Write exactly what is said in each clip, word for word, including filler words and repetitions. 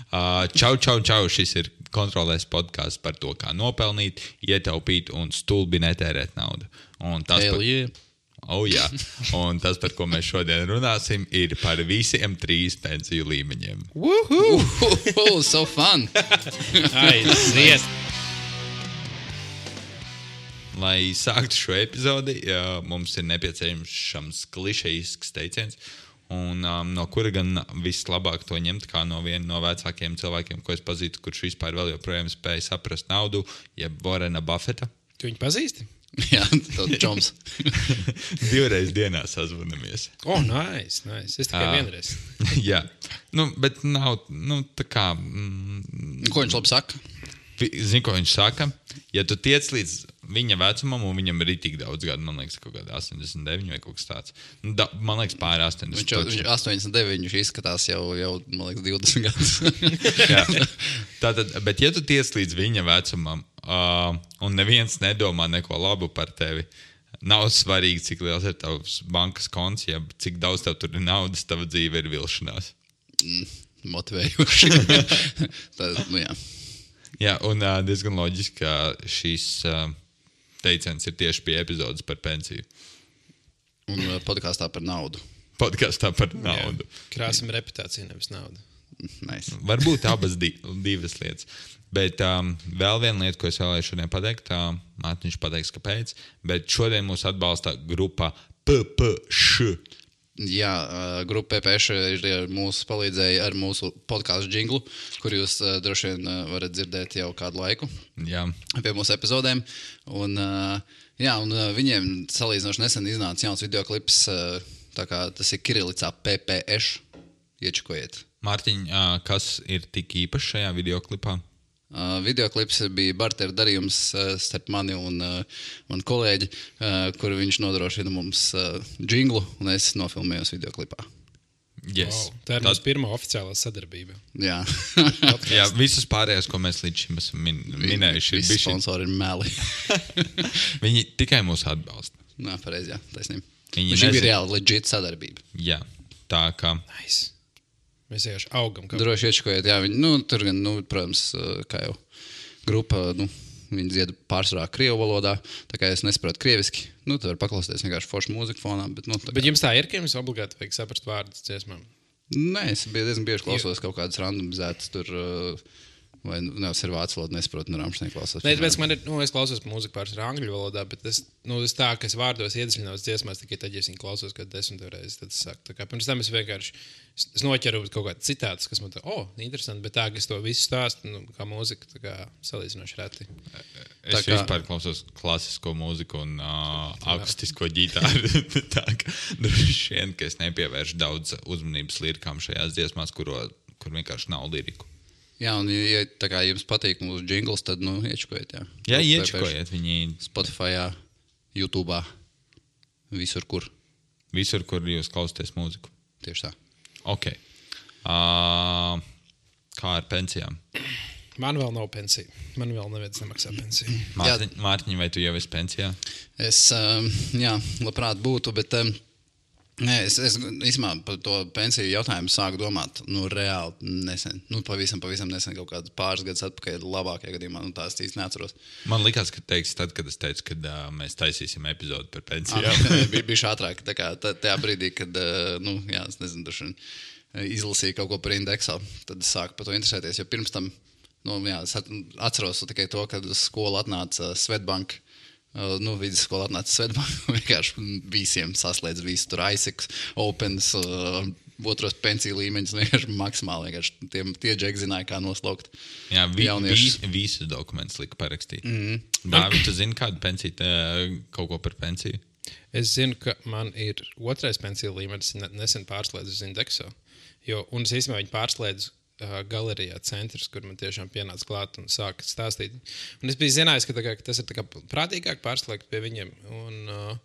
Uh, čau, čau, čau. Šis ir kontrolēs podkāsts par to, kā nopelnīt, ietaupīt un stulbi netērēt naudu. Un tas, Hell par... yeah. Oh, jā. Un tas, par ko mēs šodien runāsim, ir par visiem trīs pensiju līmeņiem. Woohoo! Uh, so fun! Aiziet! Lai sāktu šo epizodi, mums ir nepieciešams klišejisks teiciens, un um, no kura gan vislabāk to ņemt, kā no viena no vecākiem cilvēkiem, ko es pazīstu, kurš vispār vēl joprojām spēja saprast naudu, jeb Warrena Buffeta. Tu viņu pazīsti? Jā, tas čoms. Divreiz dienā sazvanamies. O, oh, nice, nice. Es tikai Ah. vienreiz. Jā, nu, bet nav, nu, tā kā... Mm, Ko viņš labi saka? Zini, ko viņš saka? Ja tu tiec līdz viņa vecumam, un viņam ir tik daudz gadu, man liekas, kaut kāda astoņdesmit deviņi vai kaut kas tāds. Nu, da, man liekas, pāri astoņdesmit. Viņš jau viņš astoņdesmit deviņi, viņš izskatās jau, jau man liekas, divdesmit gadus. Jā. Tātad, bet ja tu tiec līdz viņa vecumam, uh, un neviens nedomā neko labu par tevi, nav svarīgi, cik liels ir tavs bankas konts, ja cik daudz tev tur ir naudas, tava dzīve ir vilšanās. Mm, motivējoši. Tad, nu jā. Jā, un uh, diezgan loģiski, ka šīs uh, teiciens ir tieši pie epizodes par pensiju. Un uh, podkāstā par naudu. Podkāstā par naudu. Krāsim reputāciju, nevis naudu. Nice. Varbūt abas di divas lietas. Bet um, vēl viena lieta, ko es vēlēju šodien pateikt, uh, Mārtiņš pateiks, kāpēc, bet šodien mūs atbalsta grupa P P Š. Jā, uh, grupa P P Š ir mūsu palīdzēja ar mūsu podkāstu džinglu, kur jūs uh, droši vien uh, varat dzirdēt jau kādu laiku Jā. pie mūsu epizodēm. Un, uh, jā, un uh, viņiem salīdzinoši nesen iznāca jauns videoklips, uh, tā kā tas ir kirilicā P P Š. Iečakojiet. Mārtiņ, uh, kas ir tik īpašs šajā videoklipā? Uh, videoklips bija barteru darījums uh, starp mani un uh, manu kolēģi, uh, kur viņš nodrošina mums uh, džinglu, un es nofilmējos videoklipā. Yes. Wow. Tā ir mūsu pirmā oficiālā sadarbība. Jā, Jā, visus pārējos, ko mēs līdz šim esam min minējuši, ir visi bijuši. sponsori ir meli. Viņi tikai mūs atbalsta. Nā, pareizi, jā, taisnība. Viņi Šī nezin- bija reāli legit sadarbība. Jā, tā kā... Nice. Mēs vienkārši augam. Kā... Droši iečakojiet, jā, viņi, nu, tur gan, nu, protams, uh, kā jau grupa, nu, viņi dzied pārsvarā krievu valodā, tā kā es nesaprotu krieviski, nu, tu vari paklausīties vienkārši foršu mūziku fonā, bet, nu, tā kā... Bet jums tā ir, ka jums obligāti vajag saprast vārdus dziesmām? Nē, es biju diezgan bieži klausos kaut kādas randomizētas tur, uh, vai, nu, nevis ir vācu valoda, nesaprotu, no Ramšteina klausos. Nē, tāpēc man ir, nu, es klausos mūziku pārsvarā angļu valodā, bet es, nu, es tā, ka es vārdos iedziļinos dziesmās, tikai tad, ja es viņu klausos kādu desmit reizes, tad es saku. Tā kā pirms tam es vienkārši, es, es noķeru kaut kādu citātus, kas man tā, o, oh, interesanti, bet tā, ka es to visu stāstu, nu, kā mūzika, tā kā salīdzinoši reti. Es Tā kā- vispār klausos klasisko mūziku un uh, akustisko ģitāru. Tā kā droši vien, ka es nepievēršu daudz uzmanības lirikām šajās dziesmās, kuro, kur vienkārši nav liriku. Jā, un ja tā kā jums patīk mūsu džingls, tad, nu, iečakojiet, jā. Jā, Grupa iečakojiet viņi P P Š, Spotifyā, YouTube'ā, visur, kur. visur, kur jūs klausāties mūziku. Tieši tā. Ok. Uh, kā ar pensijām? Man vēl nav pensija. Man vēl neviens nemaksā pensiju. Mārtiņ, Mārtiņ, vai tu jau esi pensijā? Es, um, jā, labprāt būtu, bet um, nē, es, es īstenībā par to pensiju jautājumu sāku domāt, nu, reāli nesen, nu, pavisam, pavisam nesen, kaut kāds pāris gadus atpakaļ, labākajā gadījumā, nu, tās īsti neatceros. Man likās, ka teiks tad, kad es teicu, ka uh, mēs taisīsim epizodu par pensijām. Jā, bija, bija ātrāk, tā kā tā, tajā brīdī, kad, uh, nu, jā, es nezinu, droši vien izlasīju kaut ko par indeksu, tad es sāku par to interesēties, jo pirms tam, nu, jā, es atceros tikai to, kad uz skolu atnāca Svetbank, uh, nu, vidusskola atnāca Svetbank, vienkārši visiem saslēdz visu tur aizseks, opens, uh, otros pensiju līmeņus, vienkārši maksimāli, vienkārši tie, tie džeki zināja, kā noslaukt Jā, vi, jauniešus. vi, visus dokumentus lika parakstīt. Mhm. Mm -hmm. Dāvi, tu zini kādu pensiju, tā, kaut ko par pensiju? Es zinu, ka man ir otrais pensiju līmenis, nesen pārslēdzu uz indeksu. Jo, un es īstenībā viņu pārslēdzu uh, galerijā centrs, kur man tiešām pienāca klāt un sāka stāstīt. Un es biju zinājis, ka, kā, ka tas ir tā kā prātīgāk pārslēgt pie viņiem. Un uh,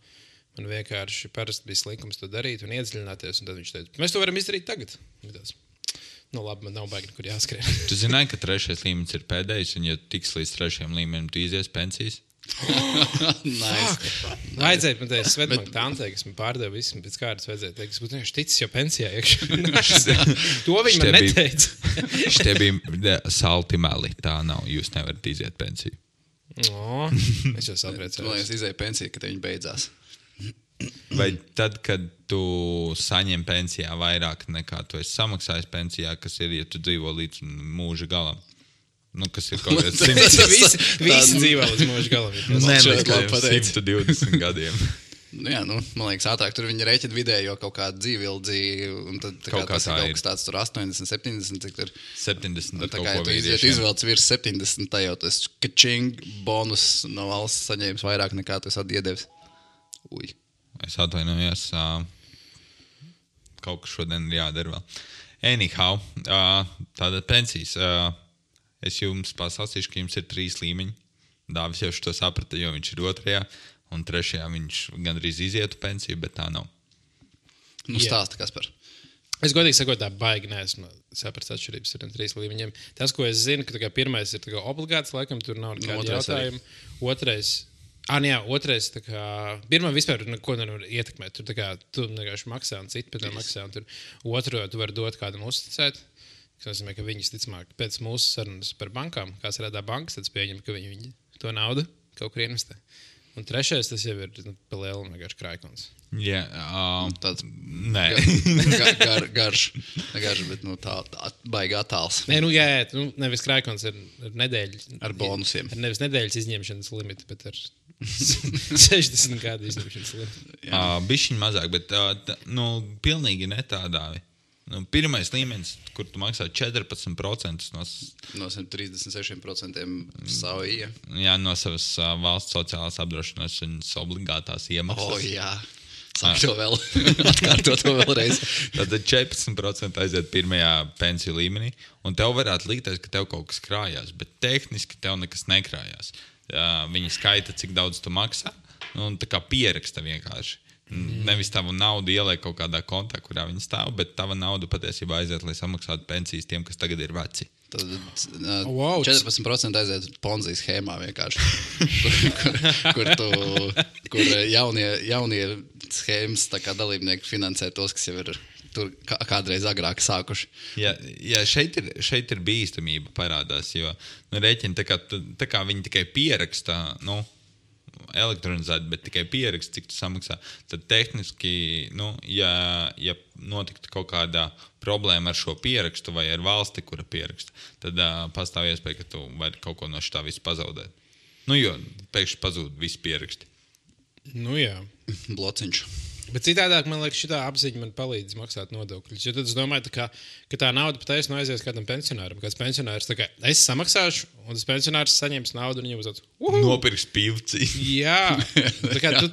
man vienkārši parasti bija slinkums to darīt un iedziļināties. Un tad viņš teica, mēs to varam izdarīt tagad. Tāds, nu labi, man nav baigi, kur jāskrien. Tu zināji, ka trešais līmenis ir pēdējais, un ja tiks līdz trešajam līmenim, tu izies pensijas? Nice. Vajadzēja man teikt, Svetbank tantei, kas man pārdeva visu, pēc kārtas vajadzēja teikt, es būtu vienkārši ticis jau pensijā iekšā. To viņi man Šitie bija- neteica. Šitie bija salti meli. Tā nav. Jūs nevarat iziet pensiju. O, es jau sapratu. Man liekas, izēja pensija, kad viņi beidzās. Vai tad, kad tu saņem pensijā vairāk nekā tu esi samaksājis pensijā, kas ir, ja tu dzīvo līdz mūža galam? Nu, kas ir kaut kāds Tas visi, visi dzīvo līdz mūža galam. ja tas- Nē, šeit līdz labi pateici. simt divdesmit gadiem. Nu, jā, nu, man liekas, ātrāk tur viņi rēķina vidējo kaut kādu dzīvildzi, un tad tā kā Kaut kā tas tā ir ir. kaut kas tāds tur astoņdesmit, septiņdesmit, cik tur. septiņdesmit Un ar tā kaut kā, ja ko tu iziet vīriešiem. izvēlēts virs septiņdesmit, tā jau tas kačing bonus no valsts saņēmis vairāk nekā tu esi atiedevis. Uj. Es atvainojos. ā, Kaut kas šodien ir jādara vēl. Anyhow, ā, tātad pensijas. ā, Es jums pasāstīšu, ka jums ir trīs līmeņi. Dāvis jau šo saprata, jo viņš ir otrajā, un trešajā viņš gandrīz izietu pensiju, bet tā nav. Nu, Jā. stāsta, kas par. Es godīgi sakot, tā baigi neesmu sapratis atšķirības ar tiem trīs līmeņiem. Tas, ko es zinu, ka tā kā pirmais ir tā kā obligāts, laikam tur nav nekāda Nu, otrais arī. jautājuma. Otrais, ah, jā, otrais, tā kā, pirmā vispār neko nevar ietekmēt. Tur tā kā tu vienkārši maksā un citi pēc tam maksā, un tur otro tu vari dot kādam uzticēt. Tas nozīmē, ka viņi visticamāk pēc mūsu sarunas par bankām, kāds rādā bankas, tad es pieņemu, ka viņi, viņi to naudu kaut kur investē. Un trešais, tas jau ir nu, pa lielu vienkārši krājkons. Jā, ā, Tāds nē. gar, gar, garš, ne garš, bet nu, tā, tā baigi attāls. Nē, nu jā, jā nu, nevis krājkons ar, ar nedēļu. Ar bonusiem. Ar nevis nedēļas izņemšanas limitu, bet ar sešdesmit gadu izņemšanas limitu. Uh, Bišķiņ mazāk, bet uh, t, nu, pilnīgi ne tādā. Nu, pirmais līmenis, kur tu maksā četrpadsmit procentus no, s- No simt trīsdesmit sešiem procentiem savu ija. jā, no savas uh, valsts sociālās apdrošināšanas obligātās iemaksas. O, jā. Sāk to vēl. Atkārto to vēlreiz. Tad četrpadsmit procenti aiziet pirmajā pensiju līmenī, un tev varētu likties, ka tev kaut kas krājās, bet tehniski tev nekas nekrājās. Uh, viņi skaita, cik daudz tu maksā, nu, un tā kā pieraksta vienkārši. Mm. Nevis tavu naudu ieliek kaut kādā kontā, kurā viņi stāv, bet tava nauda patiesībā aiziet, lai samaksātu pensijas tiem, kas tagad ir veci. Tad uh, Wow, tas- četrpadsmit procenti aiziet Ponzi schēmā vienkārši. kur, kur, tu, kur jaunie, jaunie schēmas tā kā dalībnieki finansē tos, kas jau ir tur kā, kādreiz agrāk sākuši. Jā, jā šeit, ir, šeit ir bīstamība parādās, jo nu, rēķini, tā kā, tu- tā kā viņi tikai pierakstā, nu, elektronizēti, bet tikai pierakst, cik tu samaksā, tad tehniski, nu, ja, ja notiktu kaut kādā problēma ar šo pierakstu vai ar valsti, kura pieraksta, tad uh, pastāv iespēja, ka tu vari kaut ko no šitā visu pazaudēt. Nu, jo pēkšņi pazūd visi pieraksti. Nu jā. Blociņš. Bet citādāk, man liekas, šī apziņa man palīdz maksāt nodokļus. Jo tad es domāju, tā kā, ka tā nauda patiesībā aizies kādam pensionāram. Kāds pensionārs tā kā es samaksāšu, un tas pensionārs saņems naudu un viņam uzdodas. Nopirks pivci. Jā, tā kā tu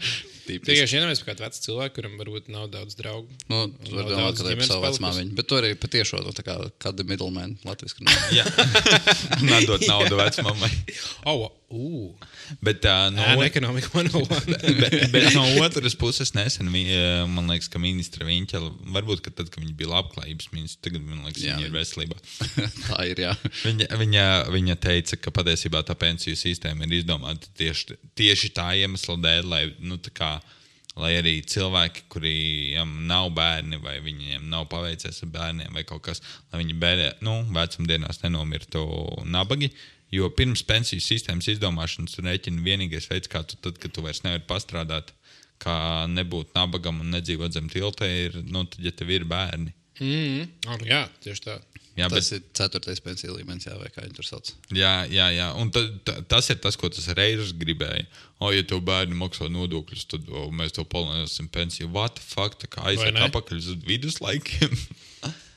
Tipiski. tikai iedomājies par kādu vecu cilvēku, kuram varbūt nav daudz draugu. Nu, tu vari Nav domāt, daudz ka tā ir ģimenes savu palikusi. vecmāmiņu. Bet tu arī patiešo, nu, tā kā kāda middleman latviski. Jā, nedot naudu vecmamai. Oh, uh, Bet, uh, no, no ekonomika man nav. bet, bet no otras puses, nesen, vi- eh, man liekas, ka ministra Viņķela, varbūt ka tad, kad viņa bija labklājības ministra, tagad, man liekas, Jā. viņa ir veselībā. Tā ir, jā. Viņa, viņa, viņa teica, ka patiesībā tā pensiju sistēma ir izdomāta tieši, tieši tā iemesla dēļ, lai, nu, tā kā, lai arī cilvēki, kuriem nav bērni vai viņiem nav paveicies ar bērniem vai kaut kas, lai viņi bērē, nu, vecumdienās nenomirtu nabagi. Jo pirms pensiju sistēmas izdomāšanas tu rēķini vienīgais veids, kā tu tad, kad tu vairs nevari pastrādāt, kā nebūt nabagam un nedzīvot zem tilta, ir, nu, tad, ja tev ir bērni. Mm, oh, jā, tieši tā. Jā, bet, Tas ir ceturtais pensiju līmenis, jā, vai kā viņi tur sauc. jā, jā, jā. Un ta, ta, tas ir tas, ko tas reizes gribēja. O, ja tev bērni maksā nodokļus, tad o, mēs to palielināsim pensiju. What the fuck? Tā kā aiziet ne? apakaļ uz viduslaikiem.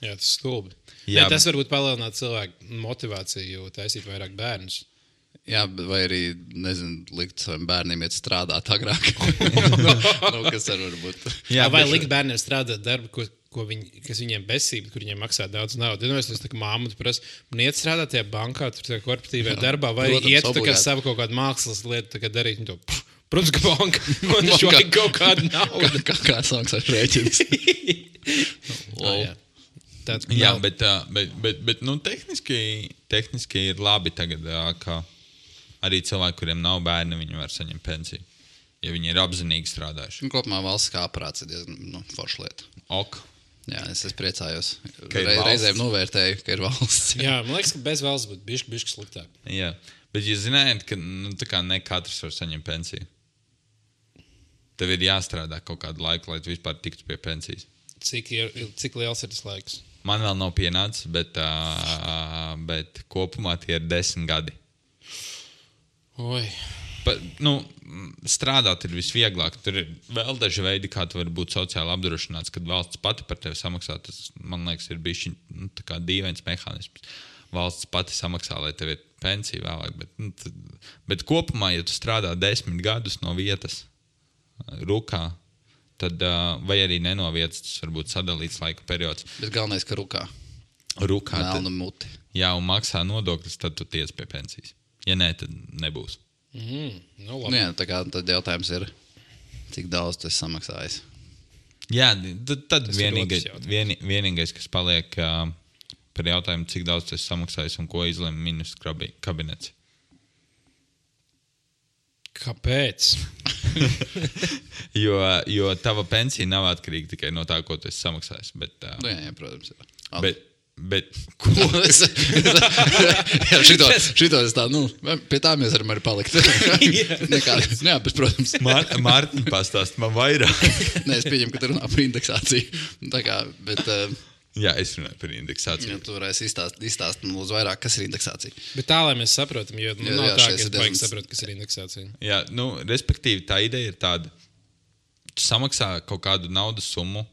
Jā, tas ir stulbi. Jā, Jā, tas varbūt palielināt cilvēku motivāciju taisīt vairāk bērnus. Jā, bet vai arī, nezinu, likt saviem bērniem iet strādāt agrāk. nu, kas ar varbūt. Jā, vai bet- likt bērniem strādāt darbu, ko, ko viņi, kas viņiem besība, kur viņiem maksā daudz naudas. Ja tas ir māma, tu prasa, man iet strādāt tajā bankā, tur tajā korporatīvajā darbā, vai protams, iet tā kā obligāti. savu kaut kādu mākslas lietu tā kā darīt. Un to, pff, protams, ka banka man taču vajag kaut kādu naudu. Kā, kā samaksāt rēķins? Oh, jā. Tāds, Jā, nav- bet, ā, bet, bet, bet nu, tehniski, tehniski ir labi tagad, ā, ka arī cilvēki, kuriem nav bērni, viņi var saņemt pensiju. Ja viņi ir apzinīgi strādājuši. Un kopumā valsts kā aprāts ir diezgan nu, forša lieta. Ok. Jā, es, es priecājos. Ka ir Re, valsts. reizēm novērtēju, ka ir valsts. Jā, man liekas, ka bez valsts būtu bišķi, bišķi sliktāk. Jā, bet jūs zinājāt, ka nu, tā kā ne katrs var saņemt pensiju. Tev ir jāstrādā kaut kādu laiku, lai tu vispār tiktu pie pensijas. Cik, ir, cik liels ir tas laiks? Man vēl nav pienācis, bet, uh, bet kopumā tie ir desmit gadi. Oi. Pa, nu, strādāt ir visvieglāk. Tur ir vēl daži veidi, kā tu vari būt sociāli apdrošināts, kad valsts pati par tevi samaksā. Tas, man liekas, ir bijis nu, dīvains mehānisms. Valsts pati samaksā, lai tev ir pensija vēlāk. Bet, nu, tad, bet kopumā, ja tu strādā desmit gadus no vietas rukā, tad, vai arī nenovietas, tas var būt sadalīts laika periods. Bet galvenais, ka rukā. Rukā. Melnu muti. Jā, un maksā nodokļus, tad tu tiec pie pensijas. Ja nē, tad nebūs. Mm, nu, Nu, jā, tā kā tad jautājums ir, cik daudz tu esi samaksājis. Jā, tad, tad Tas ir vienīgais, otrs jautājums. vien, vienīgais, kas paliek uh, par jautājumu, cik daudz tu esi samaksājis un ko izlem ministru kabinets. Kāpēc? jo, jo tava pensija nav atkarīga tikai no tā, ko tu esi samaksājis. Bet, uh, Nu, jā, jā, protams. Jā. bet, bet ko? Es- jā, šito, šito es tā, nu, pie tā mēs varam arī palikt. Nekā, jā, bet, protams. Mār, Mārtiņ, pastāst man vairāk. Nē, es pieņemu, ka tu runā par indeksāciju. Tā kā, bet, uh, Jā, es runāju par indeksāciju. ja tu varēsi izstāst, izstāst man lūdzu vairāk, kas ir indeksācija. Bet tā, lai mēs saprotam, jo nu, Jā, nav jā, tā, šeit ka es ir baigi diezgan- saprotu, kas ir indeksācija. Jā, nu, respektīvi, tā ideja ir tāda, tu samaksā kaut kādu naudas summu,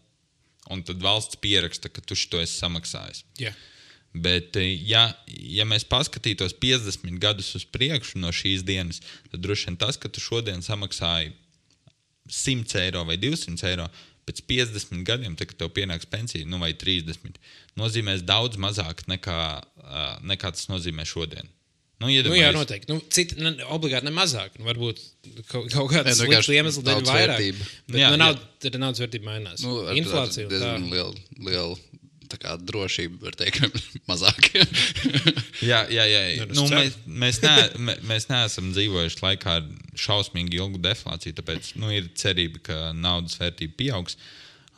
un tad valsts pieraksta, ka tu šo esi samaksājis. Jā. Bet, ja, ja mēs paskatītos piecdesmit gadus uz priekšu no šīs dienas, tad droši vien tas, ka tu šodien samaksāji simt eiro vai divsimt eiro, pēc piecdesmit gadiem, tad, kad tev pienāks pensija, nu vai trīsdesmit, nozīmēs daudz mazāk nekā, nekā tas nozīmē šodien. Nu, Nu, jā, iedomājies- noteikti. Nu, citi, ne, obligāti ne mazāk. Nu, varbūt kaut, kaut kāds Nē, nu, slikts vienkārši iemesls dēļ daudz vairāk. vērtība. Bet Jā, nu, nav, jā. tad naudas vērtība mainās. Nu, ar, Inflācija ar un tā. diezgan liela, liela tā kā drošība, var teikt, mazāk. Jā, jā, jā. Nu, es Nu, ceru. mēs, mēs, ne, mē- mēs neesam dzīvojuši laikā ar šausmīgi ilgu deflāciju, tāpēc nu, ir cerība, ka naudas vērtība pieaugs.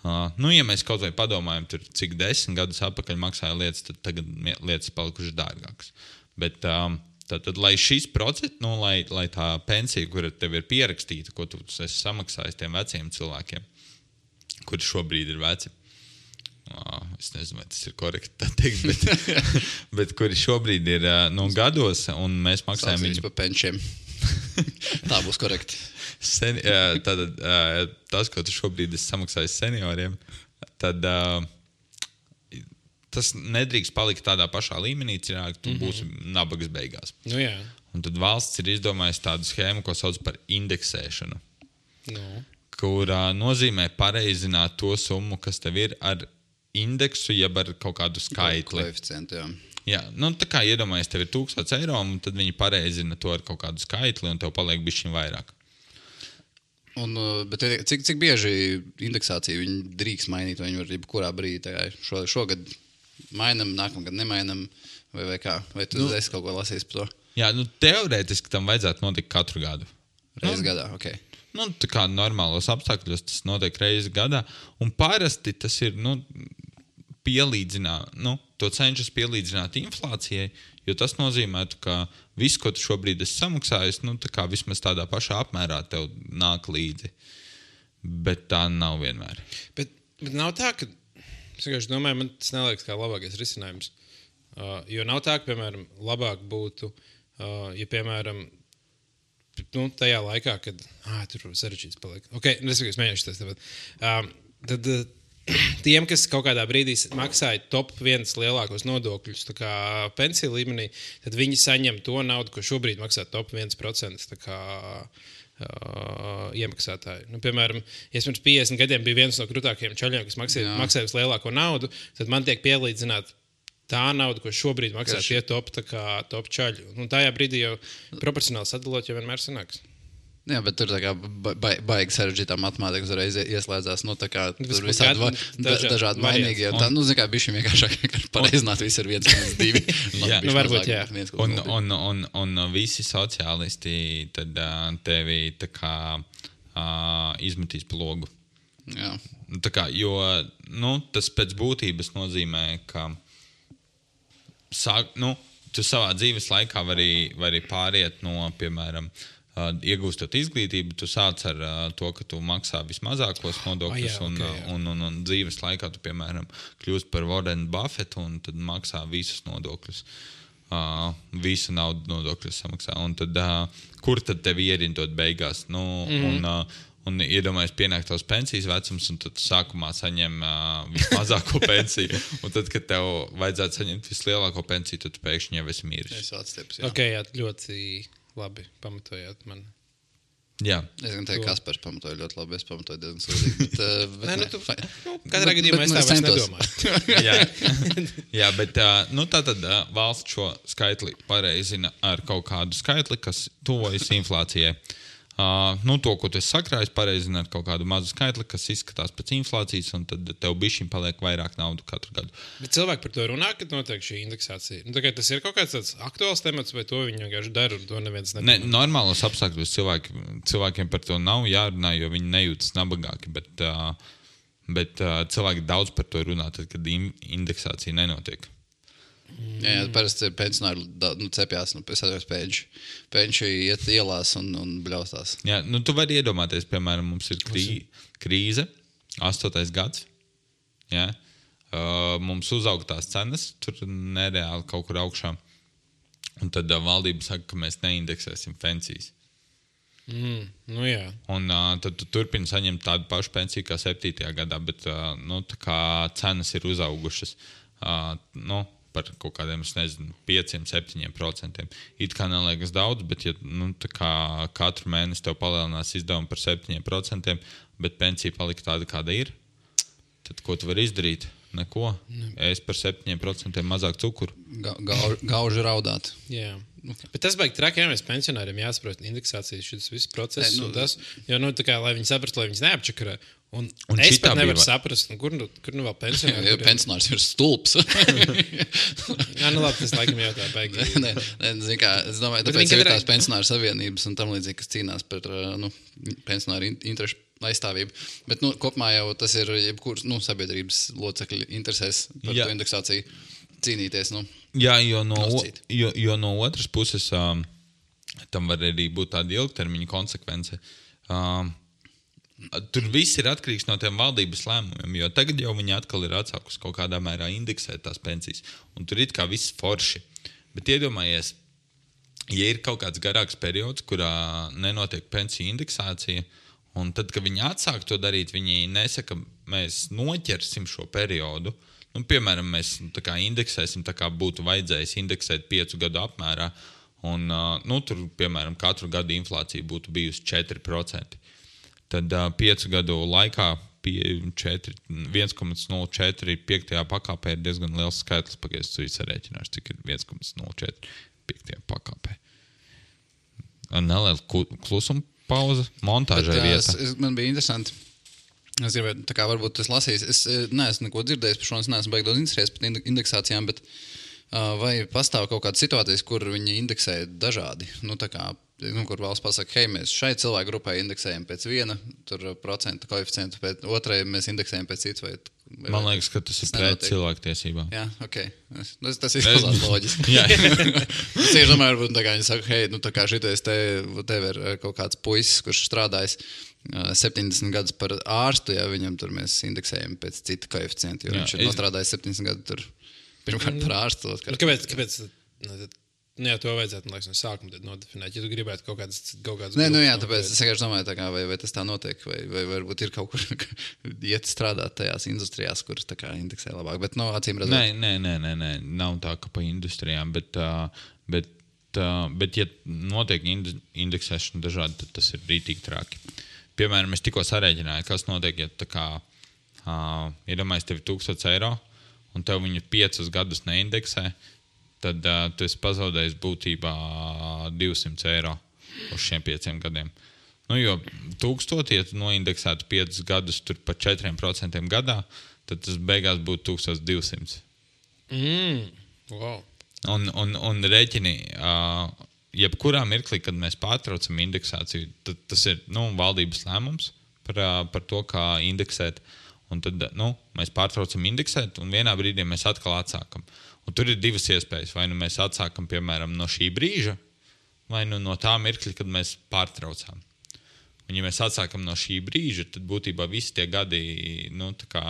Uh, nu, ja mēs kaut vai padomājam, tur, cik desmit gadus atpakaļ maksāja lietas, tad tagad mie- lietas palikušas dārgākas. Bet um, tad, tad, lai šis process, nu, lai, lai tā pensija, kura tev ir pierakstīta, ko tu esi samaksājis tiem veciem cilvēkiem, kuri šobrīd ir veci, uh, es nezinu, vai tas ir korekti tā teikt, bet, bet kuri šobrīd ir uh, nu, gados, un mēs maksājam Sauc viņus viņu. pa penčiem. Tā būs korekti. Sen, jā, tad, uh, tas, ko tu šobrīd esi samaksājis senioriem, tad uh, tas nedrīkst palikt tādā pašā līmenī, citādi tu mm -hmm. būsi nabagas beigās. Nu, jā. Un tad valsts ir izdomājusi tādu schēmu, ko sauc par indeksēšanu, Nu. kur uh, nozīmē pareizināt to summu, kas tev ir ar indeksu, jeb ar kaut kādu skaitli. Koeficientu, jā. Jā, nu, tā kā iedomājies, tev ir tūkstoš eiro, un tad viņi pareizina to ar kaut kādu skaitli, un tev paliek bišķiņ vairāk. Un, uh, bet cik, cik bieži indeksāciju viņi drīkst mainīt, vai viņi var jebkurā brīdī, tā kā šo, šogad mainam, nākamgad nemainam, vai, vai kā? Vai tu nu, esi kaut ko lasījis par to? Jā, nu, teorētiski tam vajadzētu notikt katru gadu. Reizi Nu, gadā, ok. Nu, tā kā normālos apstākļos tas notiek reizi gadā, un parasti tas ir, nu, pielīdzināt, nu, to cenšas pielīdzināt inflācijai, jo tas nozīmētu, ka viss, ko tu šobrīd esi samaksājis, nu, tā kā vismaz tādā pašā apmērā tev nāk līdzi. Bet tā nav vienmēr. Bet, bet nav tā, ka es vienkārši domāju, man tas neliekas kā labākais risinājums. Uh, jo nav tā, ka, piemēram, labāk būtu, uh, ja, piemēram, nu, tajā laikā, kad ah, tur sarežģīts paliek. Okay, es vienkārši mēģināšu tas tagad. Um, tad uh, tiem, kas kaut kādā brīdī maksāja top viens lielākos nodokļus, tā kā pensiju līmenī, tad viņi saņem to naudu, ko šobrīd maksā top viens procents. Tā kā Uh, iemaksātāji. Nu, piemēram, ja es pirms piecdesmit gadiem biju viens no krūtākajiem čaļiem, kas maksāja, maksāja vislielāko naudu, tad man tiek pielīdzināta tā nauda, ko šobrīd maksā Karši. tie top, tā kā, top čaļi. Un tajā brīdī jau proporcionāli sadalot, jau vienmēr sanāks. Jā, bet tur tā kā ba- ba- baigi sarežģītā matemātika uzreiz ieslēdzās. Nu, tā kā Nu, tur tas visādi kaut va- kādi da, dažādi dažādi varianti. mainīgi. Un tā, nu, zin kā, bišķi vienkāršāk pareizināt visu ar viens, viens, divi. Jā. Nu, varbūt, jā. Un, un, un, un visi sociālisti tad uh, tevi tā kā uh, izmetīs pa logu. Jā. tā kā, jo nu, tas pēc būtības nozīmē, ka sāk, nu, tu savā dzīves laikā vari, vari pāriet no, piemēram, uh, iegūstot izglītību, tu sāc ar uh, to, ka tu maksā vismazākos nodokļus, oh, jā, un, okay, jā. un, un, un dzīves laikā tu, piemēram, kļūst par Warren Buffett un tad maksā visus nodokļus. Uh, visu naudu nodokļus samaksā. Un tad, uh, kur tad tevi ierindot beigās? Nu, mm. un, uh, un iedomājies pienākt tavs pensijas vecums, un tad sākumā saņem uh, vismazāko pensiju. Un tad, kad tev vajadzētu saņemt vislielāko pensiju, tad tu pēkšņi jau esi miris. Es atstieps, jā. Ok, jā, ļoti labi pamatojāt man. Jā. Es gan teiktu, ka Kaspars pamatoja ļoti labi, es pamatoju diezgan sūdīgi. Bet, uh, bet, Nē, nu, ne, tu, fa- nu, katrā gadījumā es tā vairs nedomāju. Jā. Jā, bet uh, nu, tātad uh, valsts šo skaitli pareizina ar kaut kādu skaitli, kas tuvojas inflācijai. Uh, nu, to, ko tu esi sakrājis, pareizina ar kaut kādu mazu skaitli, kas izskatās pēc inflācijas, un tad tev bišķiņ paliek vairāk naudu katru gadu. Bet cilvēki par to runā, kad notiek šī indeksācija. Nu, tas ir kaut kāds tāds aktuāls temats, vai to viņi vienkārši dara, un to neviens Ne, nedomā. normālos apstākļos cilvēki, cilvēkiem par to nav jārunā, jo viņi nejūtas nabagāki, bet, uh, bet uh, cilvēki daudz par to runā, tad, kad in- indeksācija nenotiek. jā, jā, parasti pensionāri da- nu, cepjās, nu, es atceros pēļši. Pēļši iet ielās un, un bļaustās. Jā, nu, tu vari iedomāties, piemēram, mums ir krī, krīze, astotais gads. Jā, uh, mums uzaug tās cenas, tur nereāli kaut kur augšā. Un tad uh, valdība saka, ka mēs neindeksēsim pensijas. Mm, nu jā. Un uh, tad tu turpini saņemt tādu pašu pensiju kā septītajā gadā, bet uh, nu, tā kā cenas ir uzaugušas. Uh, nu, par kaut kādiem, es nezinu, pieciem, septiņiem procentiem. It kā neliekas daudz, bet ja nu, tā kā katru mēnesi tev palielinās izdevumi par septiņiem procentiem, bet pensija palika tāda, kāda ir, tad ko tu vari izdarīt? Neko. Es par septiņiem procentiem mazāk cukuru. Ga, gauž, gauži raudāt. Jā. Bet tas beigas traki, ja mēs pensionāriem jāsaprot indeksācijas, šis viss process, Nē, nu, un tas, jo, nu, tā kā, lai viņi saprastu, lai viņas neapčakarē. Un, Un un es šitā pat nevaru bija- saprast, nu, kur, nu, kur nu vēl pensionāri. Ja kuriem- pensionārs ir stulbs. Jā, nu labi, tas laikam jau tā baigi. Nē, nē, zini kā, es domāju, Bet tāpēc viņi ir kādreiz- tās pensionāru savienības un tam līdzīgi, kas cīnās par uh, nu, pensionāru in- interešu aizstāvību. Bet nu, kopumā jau tas ir jebkuras nu, sabiedrības locekļu interesēs par Jā. to indeksāciju cīnīties. Nu. Jā, jo no, o- Nosacīt. jo, jo no otras puses um, tam var arī būt tāda ilgtermiņa konsekvence. Um, tur viss ir atkarīgs no tiem valdības lēmumiem, jo tagad jau viņi atkal ir atsākusi kaut kādā mērā indeksēt tās pensijas. Un tur ir kā viss forši. Bet iedomājies, ja ir kaut kāds garāks periods, kurā nenotiek pensiju indeksācija, un tad, kad viņi atsāk to darīt, viņi nesaka, mēs noķersim šo periodu. Nu, piemēram, mēs tā kā indeksēsim, tā kā būtu vajadzējis indeksēt piecu gadu apmērā, un uh, nu, tur, piemēram, katru gadu inflācija būtu bijusi četri procenti. Tad uh, piecu gadu laikā viens komats nulle četri piektajā pakāpē ir diezgan liels skaitlis, pagaidzi tu sarēķināšu, cik ir viens komats nulle četri piektajā pakāpē. Neliela ku- klusuma pauze, montāžai Bet, jā, vieta. es, es, man bija interesanti. Es gribēju, tā kā varbūt tas lasījis. Es eh, neesmu neko dzirdējis par šo, es neesmu baigi daudz interesējies par inde- indeksācijām, bet uh, vai pastāv kaut kādas situācijas, kur viņi indeksē dažādi? Nu, tā kā, nu, kur valsts pasaka, hei, mēs šai cilvēku grupai indeksējam pēc viena tur, procentu koeficientu, pēc otrai mēs indeksējam pēc cits. Vai, vai, Man liekas, ka tas ir Tas pret nenotiek. cilvēktiesībām. Jā, ok. Tas, tas ir izklausās loģiski. Jā. Es tieši domāju, varbūt tā kā viņi saka, hei, nu tā kā šitais te, tev ir eh, kaut kāds puisis, kurš strādājis eh, septiņdesmit gadus par ārstu, ja viņam tur mēs indeksējam pēc cita koeficienta, jo Jā, viņš ir es- nostrādājis septiņdesmit gadus tur pirmkārt par ārstu. Nu, otrkārt- kāpēc? kāpēc nu, tad, nu, jā, to vajadzētu, man liekas, no sākuma tad nodefinēt. Ja tu gribētu kaut kādas, kaut kādas Nē, nu jā, grupas tāpēc noteikt. es vienkārši domāju, tā kā, vai, vai tas tā notiek, vai, vai varbūt ir kaut kur iet strādāt tajās industrijās, kuras tā kā indeksē labāk. Bet, no acīm redzot, Nē, nē, nē, nē, nē, nav tā, ka pa industrijām, bet, uh, bet, uh, bet ja notiek inde- indeksēšana dažādi, tad tas ir rītīgi traki. Piemēram, es tikko sarēķināju, kas notiek, ja tā kā uh, iedomājies tev ir tūkstots eiro, un tev viņu piecus gadus neindeksē, tad uh, tu esi pazaudējis būtībā divsimt eiro uz šiem pieciem gadiem. Nu, jo tūkstoši, ja tu noindeksētu piecus gadus tur par četriem procentiem gadā, tad tas beigās būtu tūkstoš divsimt. Mm, wow. Un, un, un rēķini, uh, jebkurā mirklī, kad mēs pārtraucam indeksāciju, tad tas ir nu, valdības lēmums par, uh, par to, kā indeksēt. un tad nu, mēs pārtraucam indeksēt, un vienā brīdī mēs atkal atsākam. Un tur ir divas iespējas. Vai nu mēs atsākam, piemēram, no šī brīža, vai nu no tā mirkļa, kad mēs pārtraucām. Un, ja mēs atsākam no šī brīža, tad būtībā visi tie gadi, nu, tā kā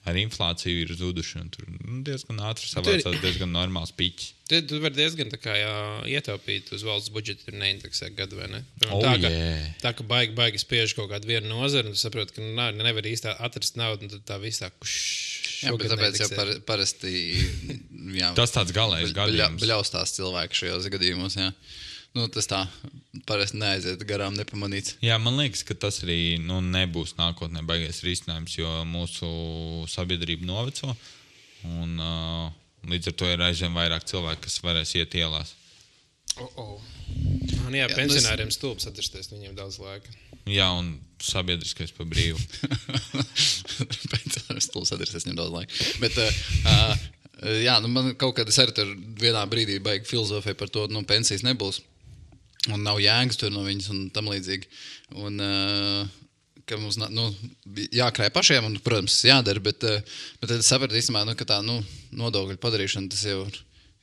ar inflāciju ir zuduši. Un tur nu, diezgan ātri savācās, diezgan normāls piķis. Tad tu vari diezgan tā kā jā, ietaupīt uz valsts budžetu ir neindeksēt gadu, vai ne? Oh, tā, ka, yeah. tā, ka baigi, baigi spiež kaut kādu vienu nozaru, un tu saproti, ka nav, nevar īsti atrast naudu, un tad tā viss tā kuš. Jā, bet tāpēc jau par, parasti jā, Tas tāds galējs gadījums. Bļaustās cilvēki šajos gadījumos, jā. Nu, tas tā parasti neaiziet garām nepamanīts. Jā, man liekas, ka tas arī nu, nebūs nākotnē baigais risinājums, jo mūsu sabiedrība noveco, un uh, līdz ar to ir aizvien vairāk cilvēku, kas varēs iet ielās. Oh, oh. Un jā, jā pensionāriem es... stulbs atrasties, viņiem daudz laika. Jā, un sabiedriskais pa brīvu. Pensionāriem stulbs atrasties, viņiem daudz laika. Bet, uh, jā, nu man kaut kad es arī tur vienā brīdī baigi filozofēju par to, nu, pensijas nebūs. Un nav jēgas tur no viņas un tam līdzīgi. Un, uh, ka mums, nu, jākrāj pašiem, un, protams, jādara, bet, uh, bet tad es sapratu īstenībā, nu, ka tā, nu, nodokļu padarīšana, tas jau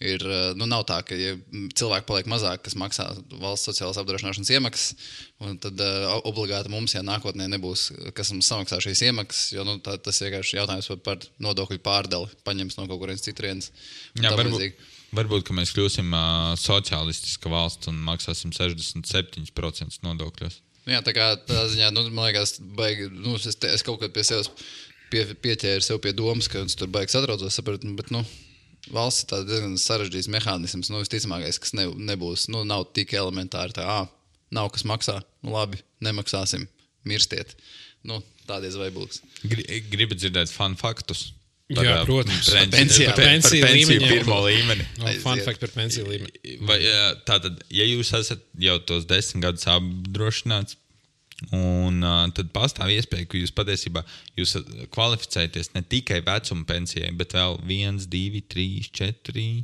ir, nu, nav tā, ka ja cilvēki paliek mazāk, kas maksā valsts sociālās apdrošināšanas iemaksas, un tad uh, obligāti mums, ja nākotnē nebūs, kas mums samaksā šīs iemaksas, jo, nu, tā, tas vienkārši jautājums par, par nodokļu pārdali, paņems no kaut kurienes citurienes. Jā, varbūt, varbūt, ka mēs kļūsim uh, sociālistiska valsts un maksāsim sešdesmit septiņi procenti nodokļos. Jā, tā kā tā ziņā, nu, man liekas, baigi, nu, es, te, es kaut kad pie sevis pie, pieķēru sev pie domas, ka es tur baigi satraucos, sapratu, bet, nu, valsts ir tāds diezgan sarežģīts mehānisms, nu, visticamākais, kas ne, nebūs, nu, nav tik elementāri, tā, ā, nav kas maksā, nu, labi, nemaksāsim, mirstiet. Nu, tādies vai būs. Gribat dzirdēt fun faktus? Par, jā, protams. Par pensiju, par, par pensiju līmeni. Pirmo līmeni. No, fun fact par pensiju līmeni. Vai, tātad, ja jūs esat jau tos desmit gadus apdrošināts, un uh, tad pastāv iespēja, ka jūs patiesībā jūs kvalificēties ne tikai vecuma pensijai, bet vēl viens, divi, trīs, četri,